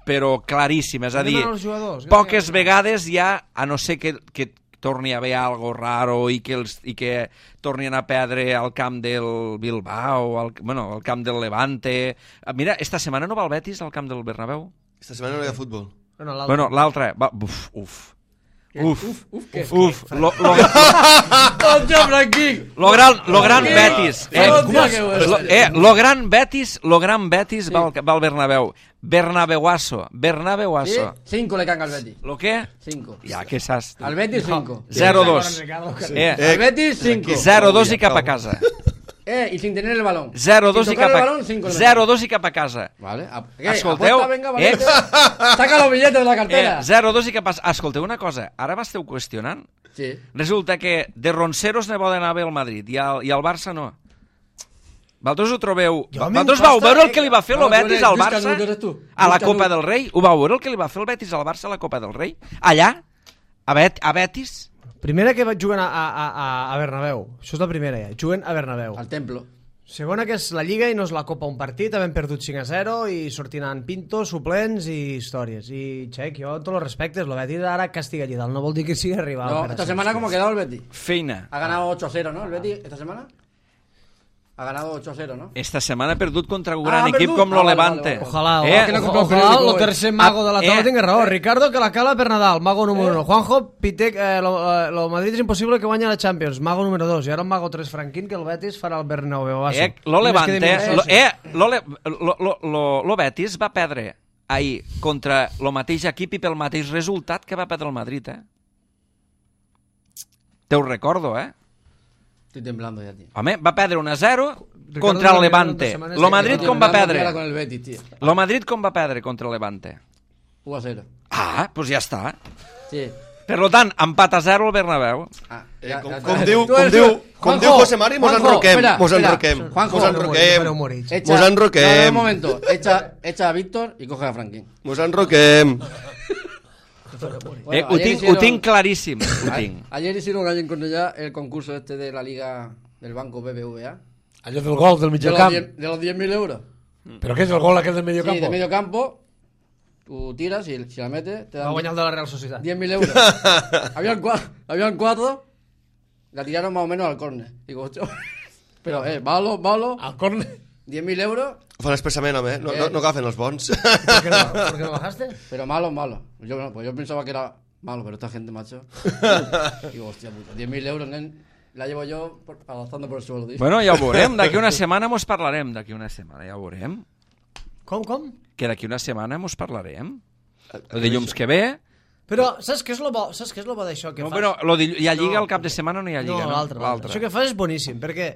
però claríssim, és a dir, Anem als jugadors, poques anem. vegades ja, a no ser que, que torni a haver algo raro i que, els, i que tornin a perdre al camp del Bilbao, al, bueno, al camp del Levante. Mira, esta setmana no va el Betis al camp del Bernabéu? Esta setmana no hi ha futbol. No, no, l'altre. Bueno, l'altre, va, uf, uf. Uf, Uf, uf, què? uf, lo, lo, ¡Hostia, Franquín! lo gran, lo gran Betis. Eh, Hòstia, que bueno. lo, eh, lo gran Betis, lo gran Betis va, al, va al Bernabéu. Bernabeuazo, Sí, Bernabeuazo. cinco le caen al Betis. Lo que? Cinco. Ja, que saps? Al Betis, cinco. zero dos. Eh. Eh, Al Betis, cinco. zero dos i cap a casa. Eh, y sin tener el balón. zero dos Sin i tocar cap el a balón, cinco le zero dos i cap a casa. Vale. a- ¿qué? Escolteu, Apuesta, venga, eh? valiente. Saca los billetes de la cartera. Eh, zero dos i cap a... Escolteu una cosa, ara m'esteu qüestionant? Sí. Resulta que de ronceros ne poden haver al Madrid i al, i al Barça no. Vosaltres ho trobeu... Jo a mi em Vosaltres costa- vau veure el que li va fer el No, tu Betis eres al Lluís Barça Canut, eres tu. a la Lluís Copa Canut. del Rei? Ho vau veure el que li va fer el Betis al Barça a la Copa del Rei? Allà? A, Bet a Betis? Primera que juguen a, a, a, a Bernabéu. Això és la primera ja. Juguen a Bernabéu. Al templo. Segona que és la Lliga i no és la Copa un partit, havent perdut cinc a zero i sortint en Pinto, suplents i històries. I, xec, jo amb tots els respectes, el Betis ara castiga allí dalt, no vol dir que sigui rival. No, per esta això. semana, ¿cómo ha quedado el Betis? Feina. Ha ganado ocho a cero, ¿no? El Betis, esta semana. Ha ganado ocho a cero, ¿no? Esta setmana ha perdut contra un Ah, gran ha equip perdut? com Ah, lo vale, Levante. vale, vale. Ojalá, Eh, que no ojalá, ojalá, ojalá, el tercer mago de la taula eh, tinga raó. Ricardo, que la cala per Nadal, mago número uno. Juanjo, Pitek, eh, lo, eh, lo Madrid és impossible que guanyi la Champions, mago número dos. I ara el mago tres Franquín, que el Betis farà el Bernabéu. Eh, lo Levante, lo, eh, lo, le- lo, lo, lo, lo Betis va perdre ahir contra el mateix equip i pel mateix resultat que va perdre el Madrid, eh? Te ho recordo, eh? Estoy temblando ya, tío. Home, va perdre un a zero Ricardo contra el no Levante. dos setmanes Lo que Madrid Estoy com va temblando ya perdre? con el Betis, tío. Lo Madrid com va perdre contra el Levante? uno a cero. Ah, doncs ja està. Sí. Per lo tant, empat a zero al Bernabéu. Ah, Eh, ya- com, ya- com ya- diu, Tú com eres diu, un- com Juanjo, diu José Mari, mos Juanjo, enroquem, espera, mos espera. enroquem, Juanjo, mos enroquem, Echa, mos enroquem, no, no, un momento. Echa, echa a Víctor y coge a Franklin. mos enroquem. Bueno, Eh, ho, ayer tinc, hicieron- ho tinc claríssim, ho a- tinc. Ayer hicieron allí en Cornellà el concurso este de la liga del banco B B V A. Allò del gol del De mig los camp. diez- de los diez mil euros. Però què és el gol aquell del mig Sí, camp? de medio campo. Tú tiras y si la metes te Va dan guanyar el de la Real Societat. diez mil euros. habían, cuatro, habían cuatro. La tiraron más o menos al córner. Digo, hostia. Pero, eh, malo, malo. Al córner. diez mil euros, Ho fan expressament, home, no, no, no agafen els bons. ¿Por qué no, ¿Por qué no bajaste? pero malo, malo. Yo, no, pues yo pensaba que era malo, pero esta gente, macho. Digo, hostia puta, diez mil euros, nen. La llevo yo por, arrastrando por el suelo, tío. Bueno, ja ho veurem. D'aquí una setmana mos parlarem. D'aquí una setmana ja ho veurem. Com, com? Que d'aquí una setmana mos parlarem. El dilluns que ve... Però saps què és lo bo, saps què és lo bo d'això que No, fas? però lo dill... hi ha lliga No. el cap de setmana o no hi ha lliga? No, l'altre, l'altre. Això que fas és boníssim, perquè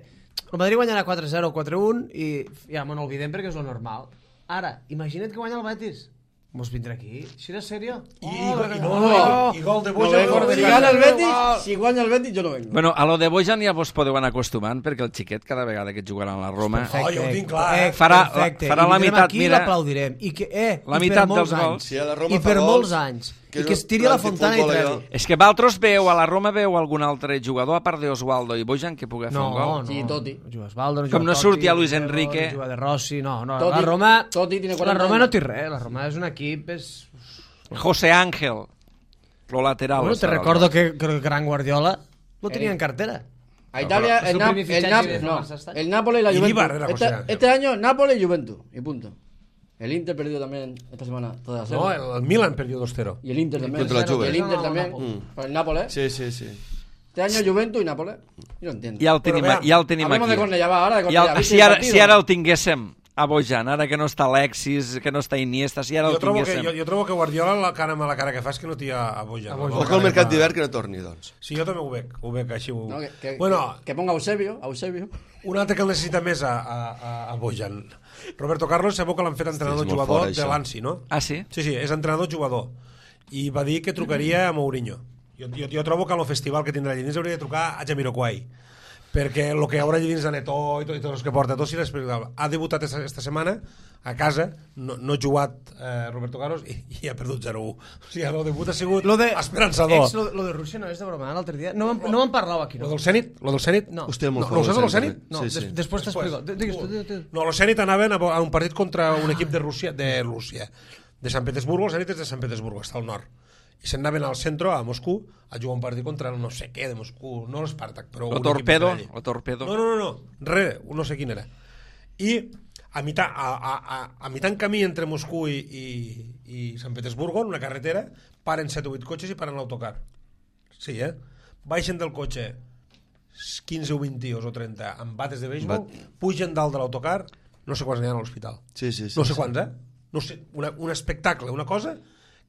el Madrid guanyarà quatre zero, quatre un i ja me n'olvidem perquè és lo normal. Ara, imagina't que guanya el Betis. Mos vindrà aquí. Si eres serio? I, i, i, No, no, i, i gol de no Boja. vengo. Si gana el Betis, si guanya el Betis, yo no vengo. Bueno, a lo de Bojan ja vos podeu anar acostumant perquè el xiquet cada vegada que jugarà a la Roma... Oh, jo ho tinc clar, eh? Farà- perfecte. farà I la vindrem meitat, aquí mira, i l'aplaudirem. I, que, eh, la i per meitat molts dels gols. anys. Si a la Roma I fa per gols. molts anys. i que es tiri a la fontana i treure. És que vosaltres veu, a la Roma veu algun altre jugador, a part d'Osvaldo i Bojan, que pugui fer No, un gol? no. Sí, Totti. No juga Osvaldo, no Com juga no Totti, surti a Luis no juga Enrique. No juga de Rossi, no. no. Totti- La Roma, Totti tiene la quaranta Roma anys. no té res, la Roma és un equip... És... José Ángel, lo lateral. Bueno, te estarà, recordo no? que, que el gran Guardiola lo tenía en cartera. A Italia, Su el, Nap- primer el, fichaje Nap- de no, Barça está. el Nápoles y la Y Juventus. Ibar era José Este, Ángel. este año, Nápoles y Juventus. Y punto. El Inter perdió también esta semana. Toda la No, serie. el, el Milan perdió dos cero. Y el Inter también. Contra la Juve. Y el Inter también. Mm. Para el Nápoles. Sí, sí, sí. Este año Juventus y Nápoles. Yo no entiendo. Ja el tenim, veam, ja el tenim Hablemos aquí. de Cornellà, va, ahora de I Cornellà. el, ¿Viste si, el ara, partido? si ara el tinguéssim a Bojan, ara que no està Alexis, que no està Iniesta, si ara Jo el trobo, que, tinguéssim... jo, jo trobo que Guardiola, la cara amb la cara que fa és que no té a, a Bojan. A Bojan. La Ojo al cara mercat que fa- d'hivern que no torni, doncs. Sí, jo també ho veig, ho veig així. Ho... No, que, que, bueno, que ponga Eusebio. Eusebio. un altre que el necessita més a, a, a, a Bojan. Roberto Carlos, sabeu que l'han fet entrenador és molt jugador fort, de això. l'Ansi, no? Ah, sí? Sí, sí, és entrenador jugador. I va dir que trucaria a Mourinho. Jo, jo, jo trobo que en el festival que tindrà allà dins hauria de trucar a Jamiroquai, perquè el que hi haurà allà dins de Netó i tot, i tot els que porta, tot si l'explicava. Ha debutat esta, esta setmana a casa, no, no ha jugat eh, Roberto Carlos i, i ha perdut zero u. O sigui, el debut ha sigut Lo de, esperançador. Ex, lo, lo de Rússia no és de broma, l'altre dia. No m'han no m'han parlat aquí, Lo no? del Zenit? Lo del Zenit? No. Hòstia, molt No, fort. no ho saps, el el Zenit? No, Sí, des, sí. després t'explico. Digues tu, digues tu. No, los Zenit anaven a, a un partit contra un equip de Rússia, de Rússia, de Sant Petersburgo. El Zenit és de Sant Petersburgo, està al nord. I se'n anaven al centre, a Moscou, a jugar un partit contra el no sé què de Moscou, no l'Spartak, però O un equip Torpedo, d'allí. o Torpedo. No, no, no, no, res, no sé quin era. I a mitjà, a, a, a, a mitjà en camí entre Moscou i, i, i Sant Petersburgo, en una carretera, paren set o vuit cotxes i paren l'autocar. Sí, eh? Baixen del cotxe quinze o vint tios o trenta amb bates de béisbol, Bat- pugen dalt de l'autocar, no sé quants n'hi ha a l'hospital. Sí, sí, sí. No sé sí. quants, eh? No sé, una, un espectacle, una cosa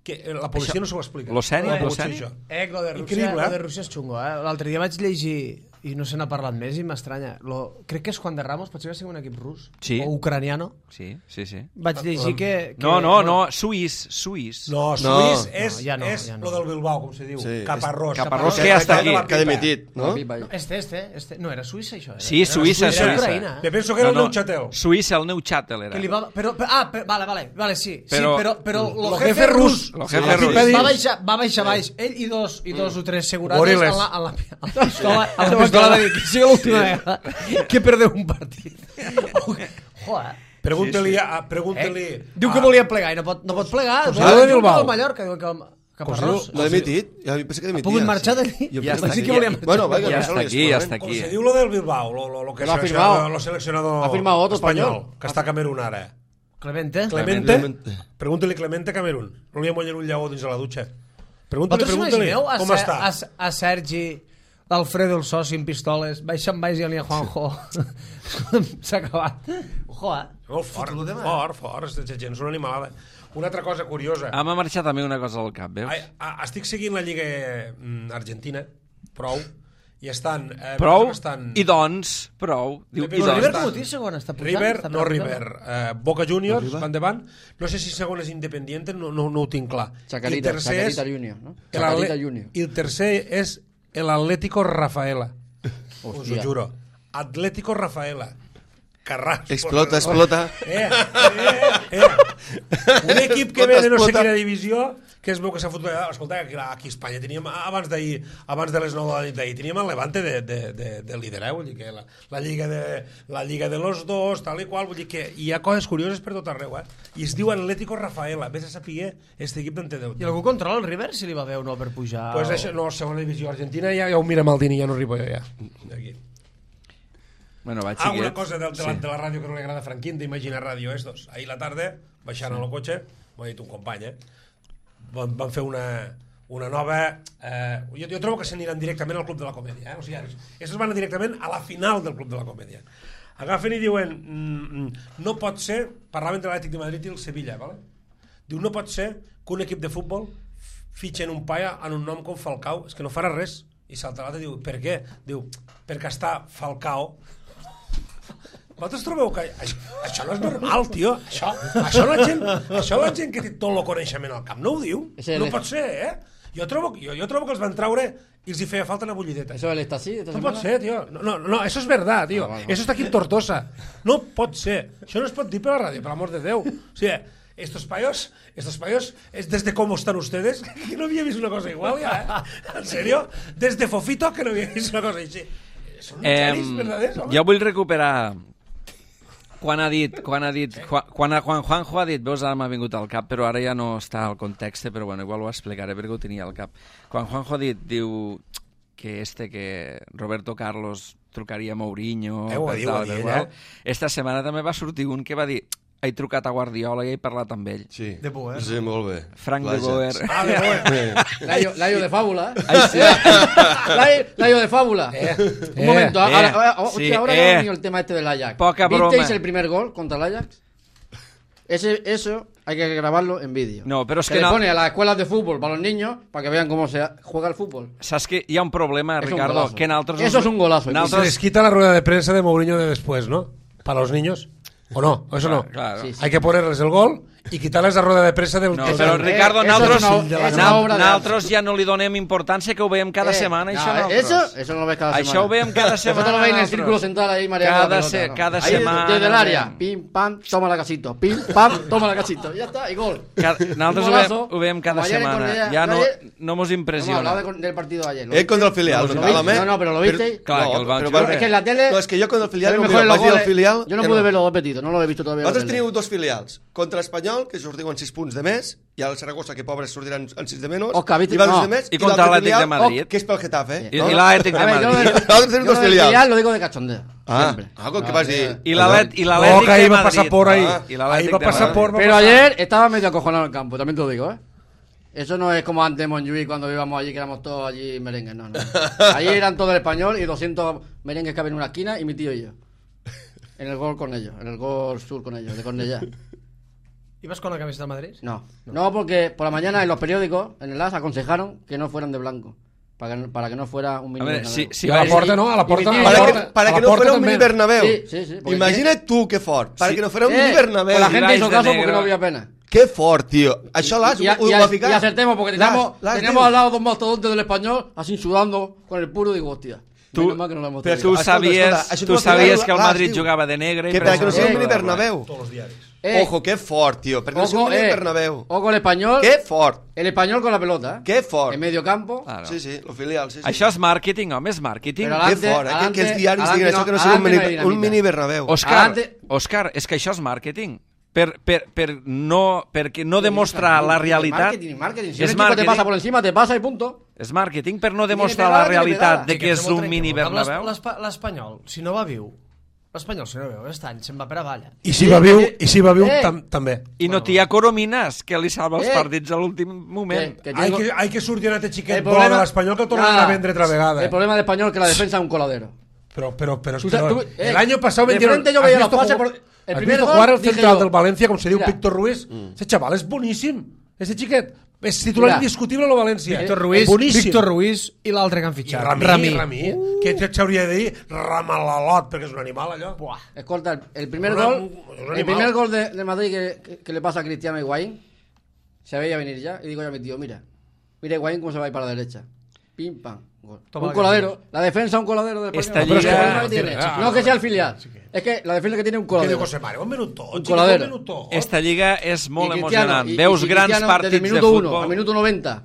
que la policia Això- no s'ho explica. Lo Zenit, No ha lo pogut ser Zenit? això. Eh, lo de Rússia, Increïble, lo eh? de Rússia és xungo, eh? L'altre dia vaig llegir, i no se n'ha parlat més i m'estranya, lo... crec que és Juan de Ramos, potser que sigui un equip rus, Sí. o ucraniano. Sí, sí, sí. Vaig llegir que... que No, no, no, suís, suís. No, No. Suís és, No, ja no, és ja no. lo del Bilbao, com se diu. Sí, Caparrós. Caparrós, que ja està aquí. de la Que ha pipa. dimitit, no? No? Este, este, este... No, era Suïssa, això? Era. Sí, Era Suïssa, Suïssa. Suïssa. Ucraïna. Me penso que era el Neuchâtel. Suïssa, el Neuchâtel era. Que li va... Però, però, ah, però, vale, vale, vale, sí. Però- sí, però, però lo, Lo jefe, jefe rus, rus. Lo Sí, jefe la rus. pipa dins. va baixar, va baixar baix, ell i dos, i dos o tres segurades a Goriles. la, a la, a la pistola, a la pistola de dir que sigui l'última vegada que perdeu un partit. Joder. Pregunta-li Sí, sí. a... Pregunta-li Eh? Diu a- que volia plegar i no pot, no pot plegar. Com si Vol- diu de diu Bilbao. del Mallorca, diu que el Caparrós. No ha dimitit? Ja pensa que dimitia. pogut marxar d'allí? Jo Ja pensava està sí aquí. que volia marxar. Bueno, venga, Ja no està se li aquí, ja explora, està eh? Com aquí. se diu lo del Bilbao, lo, lo, lo que Lo ha seleccionador, firmado. lo seleccionador Ha firmado otro espanyol, español. que està a Camerún ara. Clemente. Clemente, Clemente. pregunta-li Clemente a Camerún. No li amollen un lleó dins de la dutxa. Pregunta-li, Vosaltres pregunta-li, imagineu a, com Ser- està? a, a Sergi, l'Alfredo, el soci, amb pistoles, baixant baix i a Juanjo. S'ha acabat. Joder. Molt fort, Fotuda, man. fort, fort, aquesta gent és una animalada. Una altra cosa curiosa. Ah, m'ha marxat també una cosa al cap, veus? Ai, a, estic seguint la Lliga mm, Argentina, prou, i estan... Eh, Prou, estan... i doncs, prou. Diu, River- i Però doncs. River estan- com ho té segon? Està pujant? River, Està no pujant? River, eh, Boca Juniors Arriba. van davant, no sé si segon és Independiente, no, no, no ho tinc clar. Chacarita, I el tercer és Chacarita Junior, no? el Chacarita Atle- Junior. I el tercer és el Atlético Rafaela. Us ho Hòstia. juro. Atlético Rafaela. Carrasco. Explota, explota. Eh, eh, eh. Un equip que ve de no sé Explota. quina divisió, que es veu que s'ha fotut... Escolta, aquí, aquí a Espanya teníem, abans d'ahir, abans de les nou de la nit d'ahir, teníem el Levante de, de, de, de líder, eh? Vull dir que la, la, lliga de, la lliga de los dos, tal i qual, vull dir que hi ha coses curioses per tot arreu, eh? I es diu Atlético Rafaela, vés a saber este equip d'en té Déu. I algú controla el River si li va bé o no per pujar? Pues o- això, no, segona divisió argentina, ja, ja ho mira Maldini, ja no arribo jo, ja. Aquí. Bueno, vaig Ah, una seguir. cosa del, de, la, de la ràdio que no li agrada a Franquín, d'Imagina Ràdio estos. Ahir la tarda, baixant sí. al cotxe, m'ho ha dit un company, eh? Van, van fer una, una nova... Eh, jo, jo trobo que s'aniran directament al Club de la Comèdia, eh? O sigui, estos van directament a la final del Club de la Comèdia. Agafen i diuen, mm, no pot ser, parlaven de l'Atlètic de Madrid i el Sevilla, ¿vale? Diu, no pot ser que un equip de futbol fitxen un paia en un nom com Falcao, és que no farà res. I salta l'altre i diu, per què? Diu, perquè està Falcao. Vosaltres trobeu que això, això no és normal, tio? Això, això, la gent, això la gent que té tot el coneixement al camp no ho diu. Ese No el- pot ser, eh? Jo trobo, jo, jo trobo que els van traure i els hi feia falta una bullideta. ¿Eso él está así? esta No semana? pot ser, tio. No, no, no, eso es verdad, tio. Ah, vale, vale. Eso està aquí en Tortosa. No pot ser. Això no es pot dir per la ràdio, per l'amor de Déu. O sigui, estos payos, estos payos, es desde cómo están ustedes, que no había visto una cosa igual ya, ¿eh? ¿En serio? Desde Fofito que no había visto una cosa així. Són uns Eh, xalis verdaders, home? jo vull recuperar quan ha dit, quan ha dit, quan, quan, quan Juanjo ha dit, veus, ara m'ha vingut al cap, però ara ja no està al context, però bueno, igual ho explicaré perquè ho tenia al cap. Quan Juanjo ha dit, diu que este, que Roberto Carlos trucaria a Mourinho, Eh, ho va dir, ho va dir ella. esta setmana també va sortir un que va dir he trucat a Guardiola i he parlat amb ell. Sí, De Boer. sí, molt bé. Frank de L'Ajax. Boer. Ah, de Boer. Layo, Layo de fábula. ¿eh? Ai, sí. Layo, Layo de fábula. Un momento, eh, ahora, ahora, ahora, sí, ahora eh. que ha venido el tema este del Ajax. Poca broma. ¿Visteis el primer gol contra el Ajax? Ese, eso hay que grabarlo en vídeo. No, però és Se que le no- pone a las escuelas de fútbol para los niños para que vean cómo se juega el fútbol. Saps que hi ha un problema, Es un Ricardo, golazo. que nosaltres... Eso es un golazo. Se Nosaltres... les quita la rueda de prensa de Mourinho de después, ¿no? Para los niños. ¿O no? ¿O eso no? Claro. Sí, sí. Hay que ponerles el gol y quitarles la rueda de prensa del... No, del- però Eh, Ricardo, eso nosaltres, es una- es una na- obra de nosaltres ja no li donem importància, que ho veiem cada Eh, setmana, no, això eh, nosaltres. eso, eso no lo ves cada Això semana. ho veiem cada setmana. Vosotros lo veis en el nosaltres. círculo central ahí mareando Cada la pelota, se- ¿no? cada Ahí, semana, desde el área, veiem. pim, pam, toma la casito, pim, pam, toma la casito. Ya está, y gol. Cada, nosaltres ho Golazo. veiem, ho veiem cada Como ayer en setmana. Cornellà. Ja no, Ayer- no mos Hemos impressiona. hablado de con- del partido de ayer. ¿lo Eh, contra el viste? filial, ¿Lo no viste? estàvem, eh? No, no, pero lo visteis. Clar, No, que el van però jugar. va- Es que en la tele No, és que jo contra el filial, se ven no, mejor mira, los vaig dir goles. el filial... Yo no que pude ver los dos petitos, no lo he visto todavía. en la Nosaltres tele. teniu dos filials. Contra Espanyol, que sortiuen sis punts de més, i el Saragossa, que pobres sortiran en sis de menys, Òscar, viste- i van no. de més, I contra l'altre l'Atlètic de filial, Madrid. que és pel Getafe. I, i l'Atlètic de A ver, yo lo Madrid. del- Nosaltres tenim yo dos lo del filials. filial lo digo de cachondeo. Ah, siempre. ah, com que No, vas eh, dir... I l'Atlètic i Oh, l'Atlètic que ahí de va pasar Madrid. por ahí. Ah, i Ahí l'Atlètic va de pasar Madrid. por... va Pero pasar- ayer estaba medio acojonado en el campo, también te lo digo, ¿eh? Eso no es como antes en Montjuïc cuando íbamos allí, que éramos todos allí merengues, no, no. Allí eran todo el español y doscientos merengues que había en una esquina y mi tío y yo. En el gol con ellos, en el gol sur con ellos, de Cornellà. ¿Ibas con la camiseta del Madrid? No, no, porque por la mañana en los periódicos, en el A S, aconsejaron que no fueran de blanco. Para que, para que no fuera un A mini veure, Bernabéu. si, si I a la vais- porta, no? A la porta... I mi a tío- la Para que, porta- para a que la no porta fuera un també. mini Bernabéu. Sí, sí, sí, porque- Imagina't tu que fort. Para Sí. que no fuera un Eh, mini Bernabéu. pues la Si gente vais hizo de caso negro- porque no había pena. Que fort, tio. Això l'has... Y, a- ho y va a- ficar? y acertemos, porque teníamos, L'has- l'has teníamos dit. al lado dos mastodontes del español, así sudando con el puro, digo, hostia. Tu- menos mal que no lo hemos però traído. Tu Escolta, sabies, escolta, això tu tu ho sabies ficaràs, que el l'has, Madrid tio. jugava de negre i Que per para que no això sigui un no mini jugava. Bernabéu. Todos los diaris. Eh, Ojo, que fort, tio. Perquè no sigui un ojo, mini eh, Bernabéu. ojo el español. Que fort. El español con la pelota, ¿eh? Que fort. En medio campo. Claro. Sí, sí, el filial, sí, sí. Això és màrqueting, home, és màrqueting. Però Que Adelante, fort, eh? Que, que els adelante, diaris diguin adelante això, que no no- sigui un adelante no mini, hay un dinamita. mini Bernabéu. Òscar, Adelante. Òscar, és que això és màrqueting. Per, per, per no, perquè no demostrar la realitat... Marketing, marketing. Si és un equipo te màrqueting. pasa por encima, te pasa y punto. És màrqueting per no Tiene demostrar pegada, la tiene realitat pegada. de que és un mini Bernabéu. L'espa- L'Espanyol, si no va viu, l'Espanyol, si no va viu, aquest any se'n va per avall. I si va viu, eh, i si va viu eh. tam, també. I no t'hi ha Coromines, que li salva els Eh. partits a l'últim moment. Que, que Hay tengo- que, hay que sortir aquest xiquet el bo problema- de l'Espanyol que el tornen Nada. a vendre altra vegada. El problema de español es que la defensa es un coladero. Pero, pero, pero, Tú pero sabes- tú- eh, el año pasado de vendieron... frente yo ¿has veía los visto pases jugar- por- el ¿has primer visto gol? jugar el Dije central yo, del València, com se diu mira. Víctor Ruiz? Ese chaval és boníssim. Ese xiquet és titular Mira. indiscutible a lo València. Víctor Ruiz, Boníssim. Víctor Ruiz i l'altre que han I fitxat. Ramí, Ramí, Ramí, que s'hauria de dir Ramalalot, perquè és un animal, allò. Buah. Escolta, el- el primer Una- gol, un animal. el primer gol de, de Madrid que, que- que le pasa a Cristiano Higuaín, se veía venir ya, y digo yo a mi tío, mira, mira Higuaín cómo se va a ir para la derecha. Pim, pam, gol. Toma Un la coladero, la defensa un coladero del Esta Español. lliga- Pero es que el problema que tiene, Ah, no que sea el sí, filial, sí que- es que la defensa que tiene un Què diu coladero. José Mario? Un minutó, Un xiquet, coladero. un minutó. Esta lliga és molt Y Cristiano, emocionant. y- y Veus si grans Cristiano partits desde el de minuto uno futbol. al minuto noventa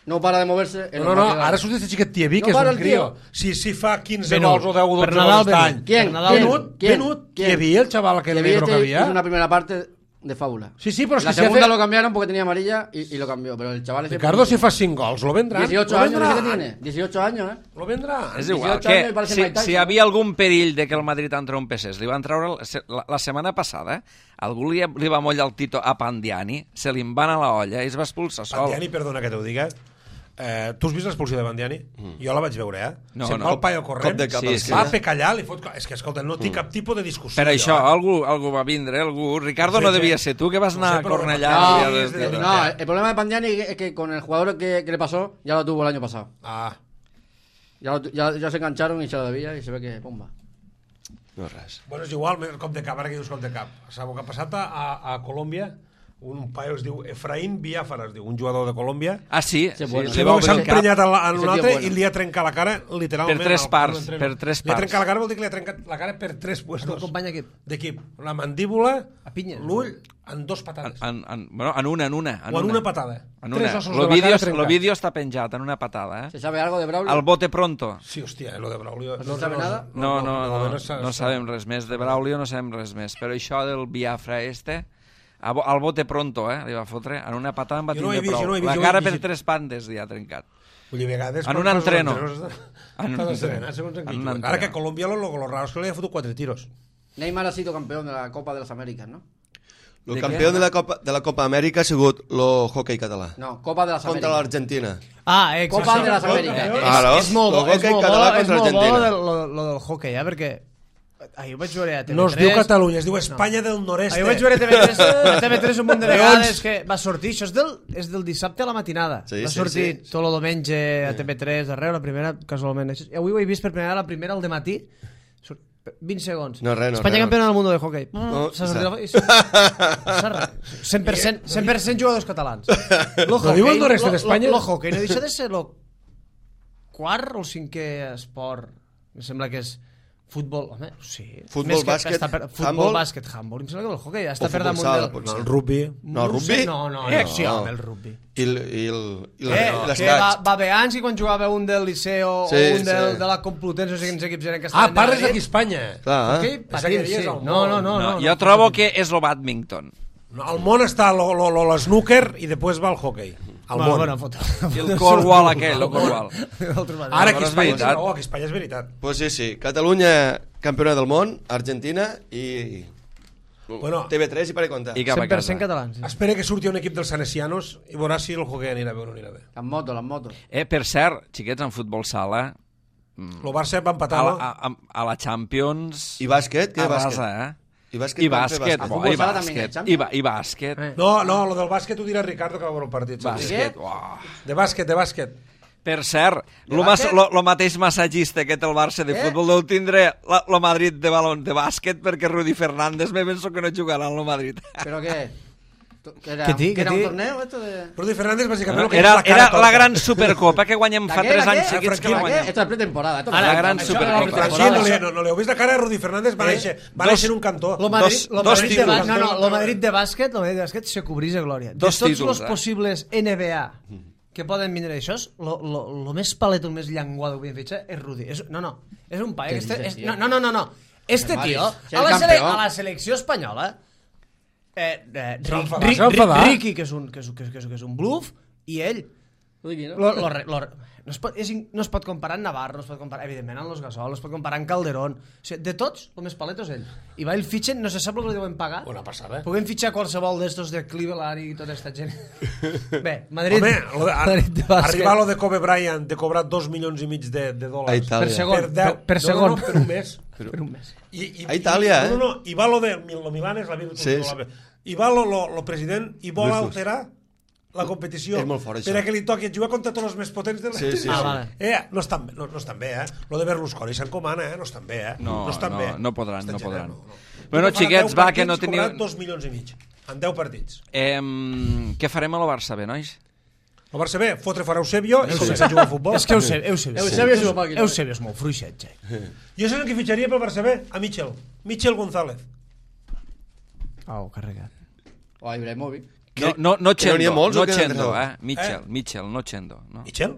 no para de moverse. en No, los no, no, marcadores. ara surt este xiquet Tievi, No que és para un el crio. tio. Si, si fa quinze Venut. gols o deu o Per dotze Nadal, gols d'any. Venut. ¿Quién? Per Nadal, ¿Quién? Venut, ¿Quién? Venut, ¿Quién? Tievi, el chaval aquel Que negro que este había. hizo una primera parte de fábula. Sí, sí, però és La que si segunda hace... lo cambiaron porque tenía amarilla y, y lo cambió, pero el chaval ese Ricardo, si fa cinc gols, lo vendrán. dieciocho lo años ¿qué vendrán. tiene? dieciocho años, ¿eh? Lo vendrán. És igual, dieciocho años que i parece si, Mike Tyson. si hi havia algun perill de que el Madrid entrompessés, li van treure la, la, la setmana passada, algú li, li va mollar el tito a Pandiani, se li en va anar la olla i es va expulsar sol. Bandiani, perdona que t'ho diga, eh, tu has vist l'expulsió de Bandiani? Mm. Jo la vaig veure, eh? No, Se'n no. va el paio corrent, Cop de cap Sí, a sí. va l'esquena. a pecallar, li fot... És que, escolta, no tinc cap tipus de discussió. Per això, jo, eh? algú, algú va vindre, algú... Ricardo no Sí, sí. devia ser tu, que vas No anar sé, a però Cornellà. no, i No, dies de- de- no, el problema de Pandiani es que con el jugador que, que le pasó ya lo tuvo el año pasado. Ah, Ya, lo tu- ya, ya se engancharon y se lo debía y se ve que bomba. No res. bueno, és igual, més cop de cap, ara que dius cop de cap. Sabeu que ha passat a, a, a Colòmbia? un paio es diu Efraín Biafara, es diu, un jugador de Colòmbia. Ah, sí? Sí, sí, bueno. li Se va veu que s'ha obrir el cap. emprenyat en, la, en un Ese tío altre bueno. i li ha trencat la cara literalment. Per tres al- parts, al- per tres Li ha parts. trencat la cara, vol dir que li ha trencat la cara per tres El puestos company equip. d'equip. La mandíbula, A pinya. l'ull, en dos En, patades. en, en, bueno, en una, en una. En O en una patada. En Tres una. ossos Lo de la vídeo, cara lo trencats. vídeo està penjat en una patada, eh? ¿Se sabe algo de Braulio? Al bote pronto. Sí, hòstia, lo de Braulio... No sabe nada? No, no, no, no, s'ha- no sabem res més de Braulio, no sabem res més. Però això del Biafra este, a bo- al bote pronto, eh, li va fotre, en una patada en va Jo no ho he tindre vist, jo prou. no ho he vist, La jo ho he cara per llegit. tres pandes li ha trencat. Vull dir, a vegades... En quan un poses entreno. entrenos, En un Estàs entreno. estrenat, segons en En qui un tu. Ara entreno. que a Colòmbia lo, lo, lo raro es que li ha fotut quatre tiros. Neymar ha sido campeón de la Copa de las Américas, ¿no? El De campió què? de la Copa, de la Copa Amèrica ha sigut el hockey català. No, Copa de las Contra Américas. l'Argentina. Ah, eh, Copa de las Eh, Américas. Ah, no? és, és molt bo, El és hoquei molt bo, català és contra molt bo Argentina. del, lo, lo del hockey, eh, perquè ahir ho vaig veure a T V tres. No es diu Catalunya, es diu Espanya del Nord-est. Ahir ho vaig veure a T V tres, a T V tres un munt de vegades Leons. que va sortir, això és del, és del dissabte a la matinada. Sí, va sí, sortir sí. tot el diumenge a T V tres d'arreu, la primera, casualment. I avui ho he vist per primera, la primera al dematí, surt vint segons. No, res, no, Espanya res, no. campiona del món de hockey. No, S'ha s'ha- sortit la- i s'ha- s'ha res. cent per cent, cent per cent jugadors catalans. Lo hockey, diu el nord-est lo- d'Espanya? Lo, lo hockey no deixa de ser el quart o el cinquè esport. Em sembla que és futbol, home, sí. Futbol, Més que bàsquet, està per, futbol, handbol. bàsquet, handbol. Em sembla que el hockey està O per futbol damunt sala, del... potser. No, el rugby... No, ho rugby? sé, No, no, no, Eh, sí, no. home, el rugby. I, el, i, el, i Eh, les que va, cacs. va bé anys i quan jugava un del Liceo Sí, o un del, sí. de la Complutense, no sé quins equips eren que Ah, estaven parles allà. d'aquí a Espanya. Clar, Hockey, eh? patins, que dius sí. al No, no, món. no. No, no, jo trobo que és lo badminton. No, al món està lo, lo, lo, l'snooker i després va el hockey. Al Bueno, món. bueno, foto. I el cornwall aquell, el cornwall. Ara aquí Però a és Espanya, veritat. no, aquí a Espanya és veritat. Pues sí, sí. Catalunya, campiona del món, Argentina i... Bueno. T V tres i per comptar. I cap a cent per casa. cent catalans. Sí. Espera que surti un equip dels Sanesianos i veuràs si el hockey anirà bé o no anirà bé. Las motos, las motos. Eh, per cert, xiquets, en futbol sala, El Barça va a empatar, la, no? a, a, a la Champions... I bàsquet? Què bàsquet? arrasa, eh? I bàsquet, I van fer bàsquet, A bo, futbol i sala també hi ha bàsquet, Champions? i, ba, i bàsquet, Eh. No, no, lo del bàsquet ho dirà Ricardo que va veure el partit. saps? bàsquet, uah. De bàsquet, de bàsquet. Per cert, lo, mas, bàsquet? lo, lo mateix massatgista que té el Barça de Eh? futbol deu tindre la, lo Madrid de balon de bàsquet perquè Rudi Fernández me penso que no jugarà en lo Madrid. ¿Pero qué? ¿Que era, ¿Qué ti, que era qué un ti? torneo esto de...? Rudy Fernández, bàsicament, el que Era, és la cara era torta. la gran supercopa que guanyem fa ¿La qué, tres la anys qué? seguits que ¿La la qué? guanyem. Esto es pretemporada. Esto Ara, no- la gran eso- Supercopa. eso- Francí, no, li, no, no li heu vist la cara a Rudy Fernández? Va Eh? néixer, va Dos- néixer en un cantó. Lo Madrid, Dos- lo dos Madrid de, ba- títols. no, no, lo Madrid de bàsquet, lo Madrid de bàsquet se cobrís de glòria. De Dos tots títols, els eh? possibles N B A que poden vindre d'això, lo, lo, lo més palet, el més llenguado que podem fitxar és Rudi. És, no, no, és un paio. Què Este, dices, és, tio? no, no, no, no, no. Este Vale, tio, si a el la, sele, campió. a la selecció espanyola, eh, eh, S'ha Ri- enfadat, Ri- s'ha enfadat. Ri- Ricky, que és un, que és, que és, que és, que és un bluff, i ell Uy, ¿no? Lo, lo, lo, no, es pot, és, in- no es pot comparar amb Navarro, no es pot comparar, evidentment, amb los Gasol, no es pot comparar amb Calderón. O sigui, de tots, el més paleto és ell. I va, el fitxen, no se sap el que li deuen pagar. Una passada. Puguem fitxar qualsevol d'estos de Cleveland i tota aquesta gent. Bé, Madrid, Home, lo de, Madrid de bàsquet. arribar a lo de Kobe Bryant de cobrar dos milions i mig de, de A dòlars Itàlia. Per segon. per, deu, per no, segon. no, no, per un mes. Per un mes. I, i, A Itàlia, i, eh? No, no, no, i va lo de lo Milan és la vida Sí, sí, sí. I va lo, lo, lo president i vol Versus. alterar la competició És molt fort, això. per a que li toqui jugar contra tots els més potents de la Sí, sí, Ah, sí. vale. Eh, no estan, bé, no, no estan bé, eh? Lo de Berlusconi s'encomana, eh? No estan bé, eh? No, estan no, bé. no podran, Estan no podran. generant, no, no. Bueno, Farà xiquets, deu va, que no partits, teniu- cobraran dos milions i mig. En deu partits. Eh, què farem a la Barça, bé, nois? El Barça B, fotre fora Eusebio i començar a jugar a futbol. És que Eusebio, Eusebio, Eusebio és una màquina. Eusebio és molt fluixet, Jack. Jo sé el que fitxaria pel Barça B a Michel. Michel González. Au, carregat. O a Ibrahimovic. No, no, no que no n'hi ha Chendo, molts, no o què, Chendo, Andreu? eh? Mitchell, Eh? Mitchell, no Chendo. No. Michel?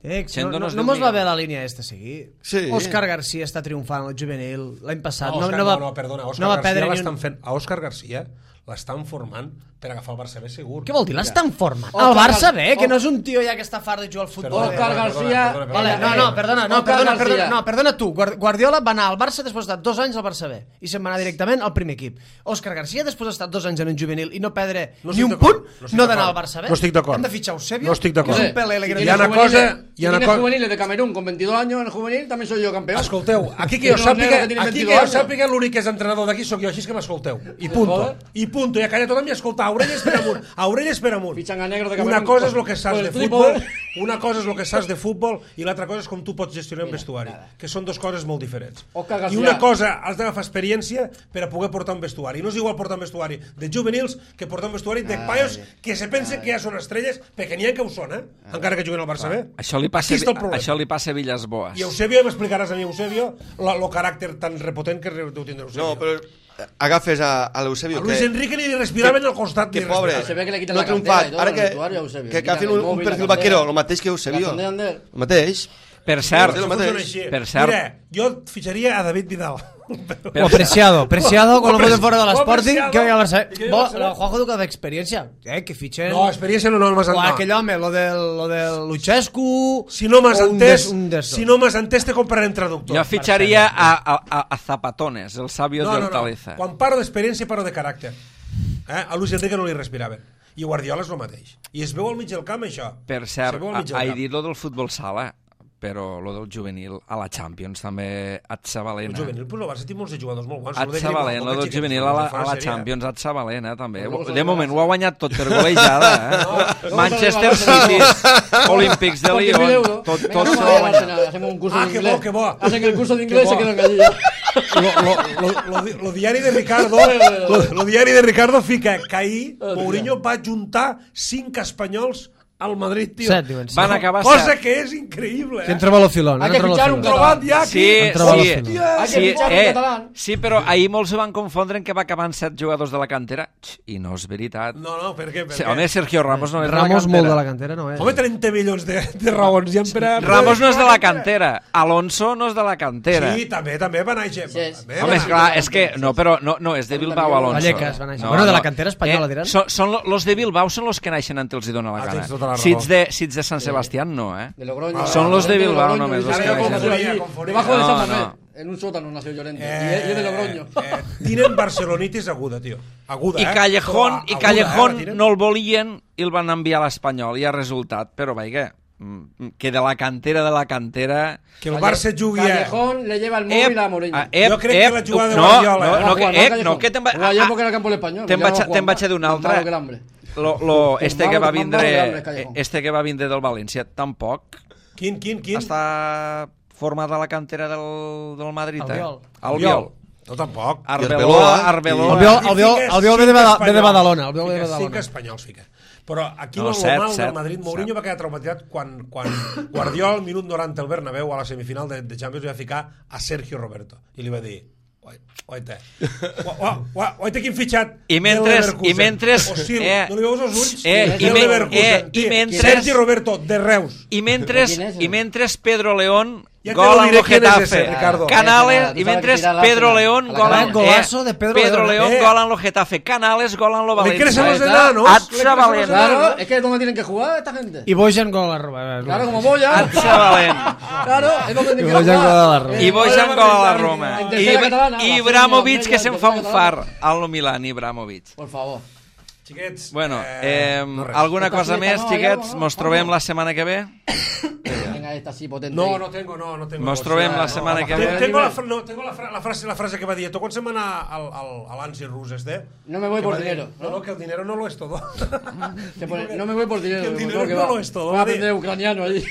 Eh, Chendo no, no no, es no diu mos va Miguel. bé la línia aquesta a seguir. Sí. Òscar Garcia està triomfant al juvenil l'any passat. No, No, Òscar, no, va, no, no, perdona, Òscar no va Garcia perdre ni l'estan un... fent, a Òscar Garcia l'estan formant per agafar el Barça B segur. Què vol dir? L'estan formant. Òscar El Barça Gar- B, que no és un tio ja que està fart de jugar al futbol. Perdona, Òscar perdona, Garcia- perdona, Vale, perdona, no, no, perdona, no, Òscar perdona, Garcia. perdona, no, perdona tu. Guard- Guardiola va anar al Barça després d'estar dos anys al Barça B i se'n va anar directament al primer equip. Òscar Garcia, després d'estar dos anys en un juvenil i no perdre No ni estic un d'acord, punt, no estic no d'anar al d'acord. Barça B. No estic d'acord. Hem de fitxar Eusebio. No estic d'acord. Que és un Pelé, Si que Hi ha tienes una cosa- juveniles- hi ha si una tienes cosa- juveniles de Camerún con veintidós años en el juvenil, también soy yo campeón. Escolteu, aquí que jo Però sàpiga, no, que tiene aquí que veintidós jo años. sàpiga l'únic que és entrenador d'aquí sóc jo, així que m'escolteu. I punto. Joder. I punto, ja calla tothom i escolta, a orelles per amunt, a orelles per amunt. Fichan a negro de Una Camerún. cosa és el que saps Por de el trípode. futbol, una cosa és el que saps de futbol i l'altra cosa és com tu pots gestionar un vestuari, que són dues coses molt diferents. Òscar I García. una cosa, has d'agafar experiència per a poder portar un vestuari. No és igual portar un vestuari de juvenils que portar un vestuari de paios que se pensen que ja són estrelles, perquè n'hi ha que ho són, eh? Encara que juguen al Barça bé. Això li passa, Aquí està el problema. això li passa a Villas-Boas. I Eusebio, m'explicaràs a mi, Eusebio, el caràcter tan repotent que deu tindre Eusebio. No, però agafes a, a l'Eusebio A Luis que... Enrique ni li respiraven al costat. Que ni pobre, respiraven. Se ve que le quitan no la ha triomfat. cantera y todo Ara en que, el vestuario a Eusebio. que, Le que quitan agafin el un, un móvil, perfil la candela. vaquero, el mateix que Eusebio. La candela Ander. El mateix. Per cert, Sí, el Això mateix. funciona així. Per cert. Mira, jo fitxaria a David Vidal. O Preciado, Preciado, con lo Preci- ponen fuera de la o Sporting, Preciado. que vaya al Barça. I que Bo, vaya al Barça. el Juanjo Duca d'experiència. Eh, que fitxen... No, experiència no, no m'has O entès. aquell home, lo del, lo del Luchescu... Si no m'has o un entès, des- un d'estos. si no m'has entès, te comprarem traductor. jo fitxaria a, a, a, a Zapatones, el sabio no, de no, no. Hortaleza. Quan parlo d'experiència, parlo de caràcter. Eh? A Luis Enrique no li respiraven. I Guardiola és el mateix. I es veu al mig del camp, això. Per Es cert, veu al mig del ha camp. dit lo del futbol sala, però lo del juvenil a la Champions també et El Sabalena. juvenil, però el Barça té molts de jugadors molt bons. Et Lo de Sabalena, Grimaldo, lo del que juvenil xiquets, a la, fa a la sèrie. Champions, et Sabalena també. Però no De moment ho ha Barça. guanyat tot per golejada, eh? no Manchester Barça. City, Olímpics de Por diez mil Lyon, euros. tot, Venga, tot vamos s'ho a ha ver, guanyat. Arsenal, hacemos un curso Ah, de que inglés. bo, que bo. Hacen el curso de Que inglés y bo. se quedan allí ya. Lo, lo, lo, lo, lo diari de Ricardo lo, lo diari de Ricardo fica que ahir Mourinho va juntar cinc espanyols al Madrid, tio. Set, diuen. Van acabar Cosa set. que és increïble, Que eh? entra Balofilón. Hay que entra fichar un Balofilón. Trobat ja aquí. Sí, Han trobat sí, la final. Hay que sí, fichar un eh, catalán. sí, però ahir molts ho van confondre en que va acabar amb set jugadors de la cantera. X, I no és veritat. No, no, per què? Per Sí, què? home, Sergio Ramos no és de la Ramos cantera. molt de la cantera, no és. Home, trenta milions de, de raons. Ja per a... Ramos no és de la cantera. Alonso no és de la cantera. Sí, també, també va néixer. Sí, és- També Home, va és néixer. clar, és que... No, però no, no és de Bilbao, Alonso. Vallecas va néixer. Bueno, de la cantera espanyola, diran. Són, són lo- los de Bilbao són los que naixen ante els hi dona la Ah, gana. tens tota la raó. Si ets de, si ets de Sant Sebastián, no, eh? De Logroño. Son los de Bilbao Logroño, només, dice los que que nació naixen. allí, Confonia. debajo de No, San Mamés. no. En un sótano nació Llorente. Eh, y es de Logroño. Eh, tienen barcelonitis aguda, tio. Aguda, I eh? Callejón, Però i aguda, Callejón eh, la tiren. no el volien i el van enviar a l'Espanyol i ha resultat, però vaja, mm, que de la cantera de la cantera... Que el Barça jugui a... Callejón le lleva el móvil a Mourinho. ah, ep, Jo crec que ep, la jugada de no, Guardiola, no, eh? no, que, Juan, no, ep, Callejón. no, que te'n va... Jugaba allá ah, porque era el campo del español. Te'n Le vaig, llama a- te'n Juan. vaig a dir un Más altre. malo que el hambre. Lo, lo, Más este que malo- va más malo que vindre hambre, Callejón. este que va vindre del València tampoc Quin, quin, quin? està format a la cantera del, del Madrid, eh? Albiol. Albiol. No, tampoc. Arbeloa, Arbeloa. Arbeloa. Albiol- Albiol- Fiques Albiol ve de cinc Bada- ve de espanyols. Badalona, Albiol ve de Fiques Badalona. cinc espanyols, fica. Però aquí No, no, set, el mal set, del Madrid, Mourinho set. va quedar traumatitzat quan, quan Guardiola al minut noranta al Bernabéu a la semifinal de, de Champions li va ficar a Sergio Roberto i li va dir oita, oita quin fitxat I mentre- del Leverkusen. i mentre- Ossil, eh, no li veus els ulls? eh, i Del men- Leverkusen, eh, i tio. mentre- Sergio Roberto de Reus. I mentre, ¿Quién es, i eh? mentre Pedro León Ja te gol lo amb diré el quién es Getafe. ese, Ricardo. Canales, Tú i sabes mentre que tirar Pedro la- León a la gol canalla. amb... Golazo de Pedro León, León eh. gol amb el Getafe. Canales gol amb el Le València. crecen los Ahí está. enanos. At le crecen los Sabalena. enanos. Claro, es que es donde tienen que jugar esta gente. I Bojan gol a la Roma. Claro, como Boya. At Sabalent. Claro, es donde tienen Y que Boyan jugar. gol a la Roma. Eh, I Bojan gol a la Roma. En tercera I, catalana, i la Ibrahimovic Feña, que se'n en fa un tercera far catalana. al Milan, Ibrahimovic. Por favor. Xiquets, Bueno, eh, eh, no res. alguna Esta cosa fiesta més, no, xiquets? ja, no, Mos no. trobem la setmana que ve? Venga, esta así potente. No, ahí. no tengo, no, no tengo. Mos no, trobem no, la no, setmana que Te- ve. Tengo, la, fra- no, tengo la, fra- la, frase, la frase que va dir. ¿Tú quan se van a, al, al, al Ansi Rus este? No me voy Que por va dir, dinero, No, ¿no? no, que el dinero no lo es todo. Que pone, no me voy por dinero. que el me dinero tengo que no va. lo es todo, Va a va a dir. aprender ucraniano allí.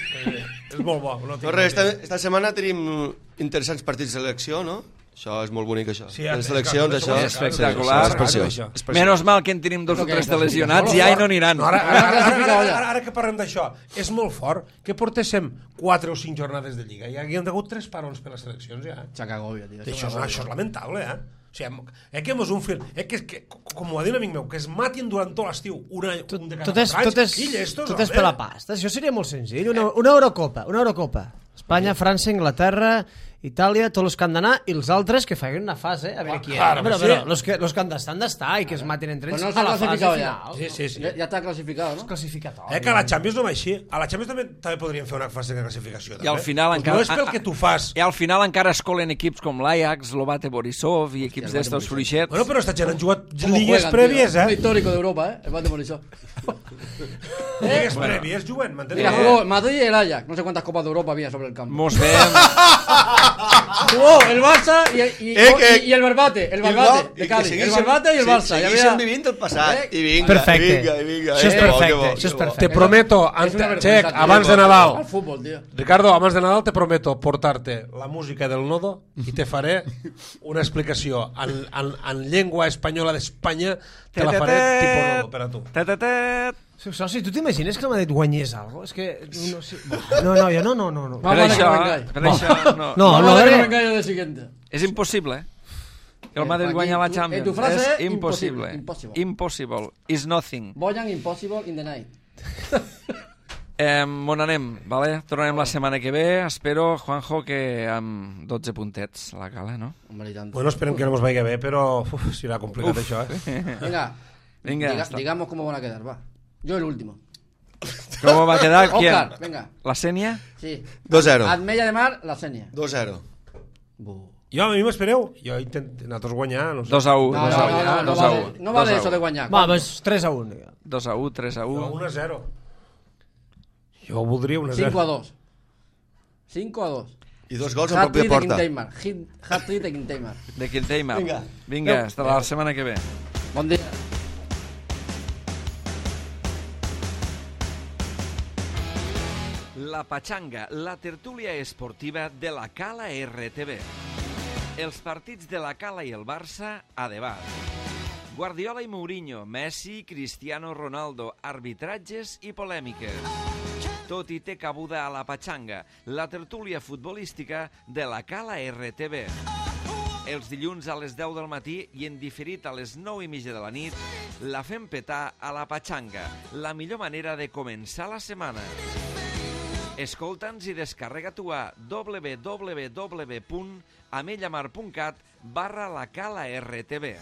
És molt bo. No, No, res, esta, esta setmana tenim interessants partits de selecció, no? Això és molt bonic, això. Sí, les és- seleccions, és- això. és espectacular. Sí, és preciós. Això. És preciós. Menos mal que en tenim dos o Creo que tres és de lesionats i molt ja fort. no aniran. No, ara, ara, Ara ara, ara, classificado ara, ja. ara, ara que parlem d'això, és molt fort que portéssim quatre o cinc jornades de Lliga i hi han hagut tres parons per les seleccions ja. Chacagobia, tío. Això és, això és lamentable, eh? O sigui, és que és un fil... És que, que, com ho va dir un amic meu, que es matin durant tot l'estiu un, any, un de cada Tot és, quatre anys. tot és, Quilla, estos, tot és home. per la pasta. Això seria molt senzill. Una, una Eurocopa, una Eurocopa. Espanya, França, Inglaterra, Itàlia, tots els que han d'anar, i els altres que facin una fase, a veure Ah, qui hi claro, ha. Però, sí. però, los que, los que han d'estar, han d'estar, i que es matin entre Pues ells no se a ha la fase clasificado ya. final. Sí, sí, sí. Ya, ya está clasificado, És ¿no? classificatori. Eh, que a la Champions no va així. A la Champions també, també podríem fer una fase de classificació. I al també. final Pues encara... No és pel que tu fas. I al final encara es colen equips com l'Ajax, l'Obate Borisov i equips d'estos fruixets. Bueno, però esta gent han jugat ¿Cómo lligues juegan, prèvies, tío? Es eh? histórico de Europa, ¿eh? El Bate Borisov. Lligues prèvies juguen, m'entens? Mira, jugó Madrid y el Ajax. No sé cuántas copas de Europa había sobre el campo. Mos veiem... Jugó el Barça y, y, Eh, que- y, y el Barbate, el Barbate de Cádiz. El Barbate y el Barça. Ja Segueixen havia- vivint el passat. Eh? I vinga, Perfecte. vinga, i vinga. Això és Eh, que bo, perfecte, que bo, això és que bo. perfecte. Te prometo, És ante, una vergüenza, Check, tío. abans de Al Nadal, fútbol, tío. Ricardo, abans de Nadal te prometo portar-te la música del Nodo i te faré una explicació en, en, en llengua espanyola d'Espanya, te la faré tipus Nodo per a tu. Tetetet. Soci, tu t'imagines que el Madrid guanyés alguna cosa? És que... No, sé. no, no, jo no, no, no. no. Per Vamos a això, Arengay. per això no. No, Vamos no, a ver eh. el engaño del siguiente. És impossible, eh? Que el Eh, Madrid aquí, guanya la tu- Champions. eh, tu frase és és impossible. impossible. Impossible. Is nothing. Boyan impossible in the night. Eh, on anem, vale? Tornarem la setmana que ve. Espero, Juanjo, que amb dotze puntets a la cala, no? Hombre, y tanto. Bueno, esperem que no ens vagi bé, però uf, serà complicat Uf. això, eh? Venga, Venga, diga- hasta- digamos cómo van a quedar, va. Yo el último. Com va quedar? ¿Quién? Oscar, venga. La Sènia? Sí. dos zero. Admella de Mar, la Senia. dos zero. Bu. Jo, a mi m'espereu. Jo intent... nosaltres guanyar, no sé. dos a u. No, dos no, a u. no, no, no, dos a vale, u. no vale dos a eso u. de guanyar. Va, doncs tres a un. dos a u, tres a Jo, u. un a zero. Jo voldria un a cinco a zero. dos. cinco a dos. I dos gols en pròpia Hat-trick de porta. Quinteimar. Hit- Hat-trick de Quinteimar. De Quinteimar. Vinga. Vinga, hasta la setmana que ve. Bon dia. La Pachanga, la tertúlia esportiva de la Cala R T V. Els partits de la Cala i el Barça a debat. Guardiola i Mourinho, Messi, Cristiano Ronaldo, arbitratges i polèmiques. Tot hi té cabuda a la Pachanga, la tertúlia futbolística de la Cala R T V. Els dilluns a les deu del matí i en diferit a les nou i mitja de la nit, la fem petar a la Pachanga, la millor manera de començar la setmana. Escolta'ns i descarrega-t'ho a w w w punt amellamar punt cat barra la Cala R T V.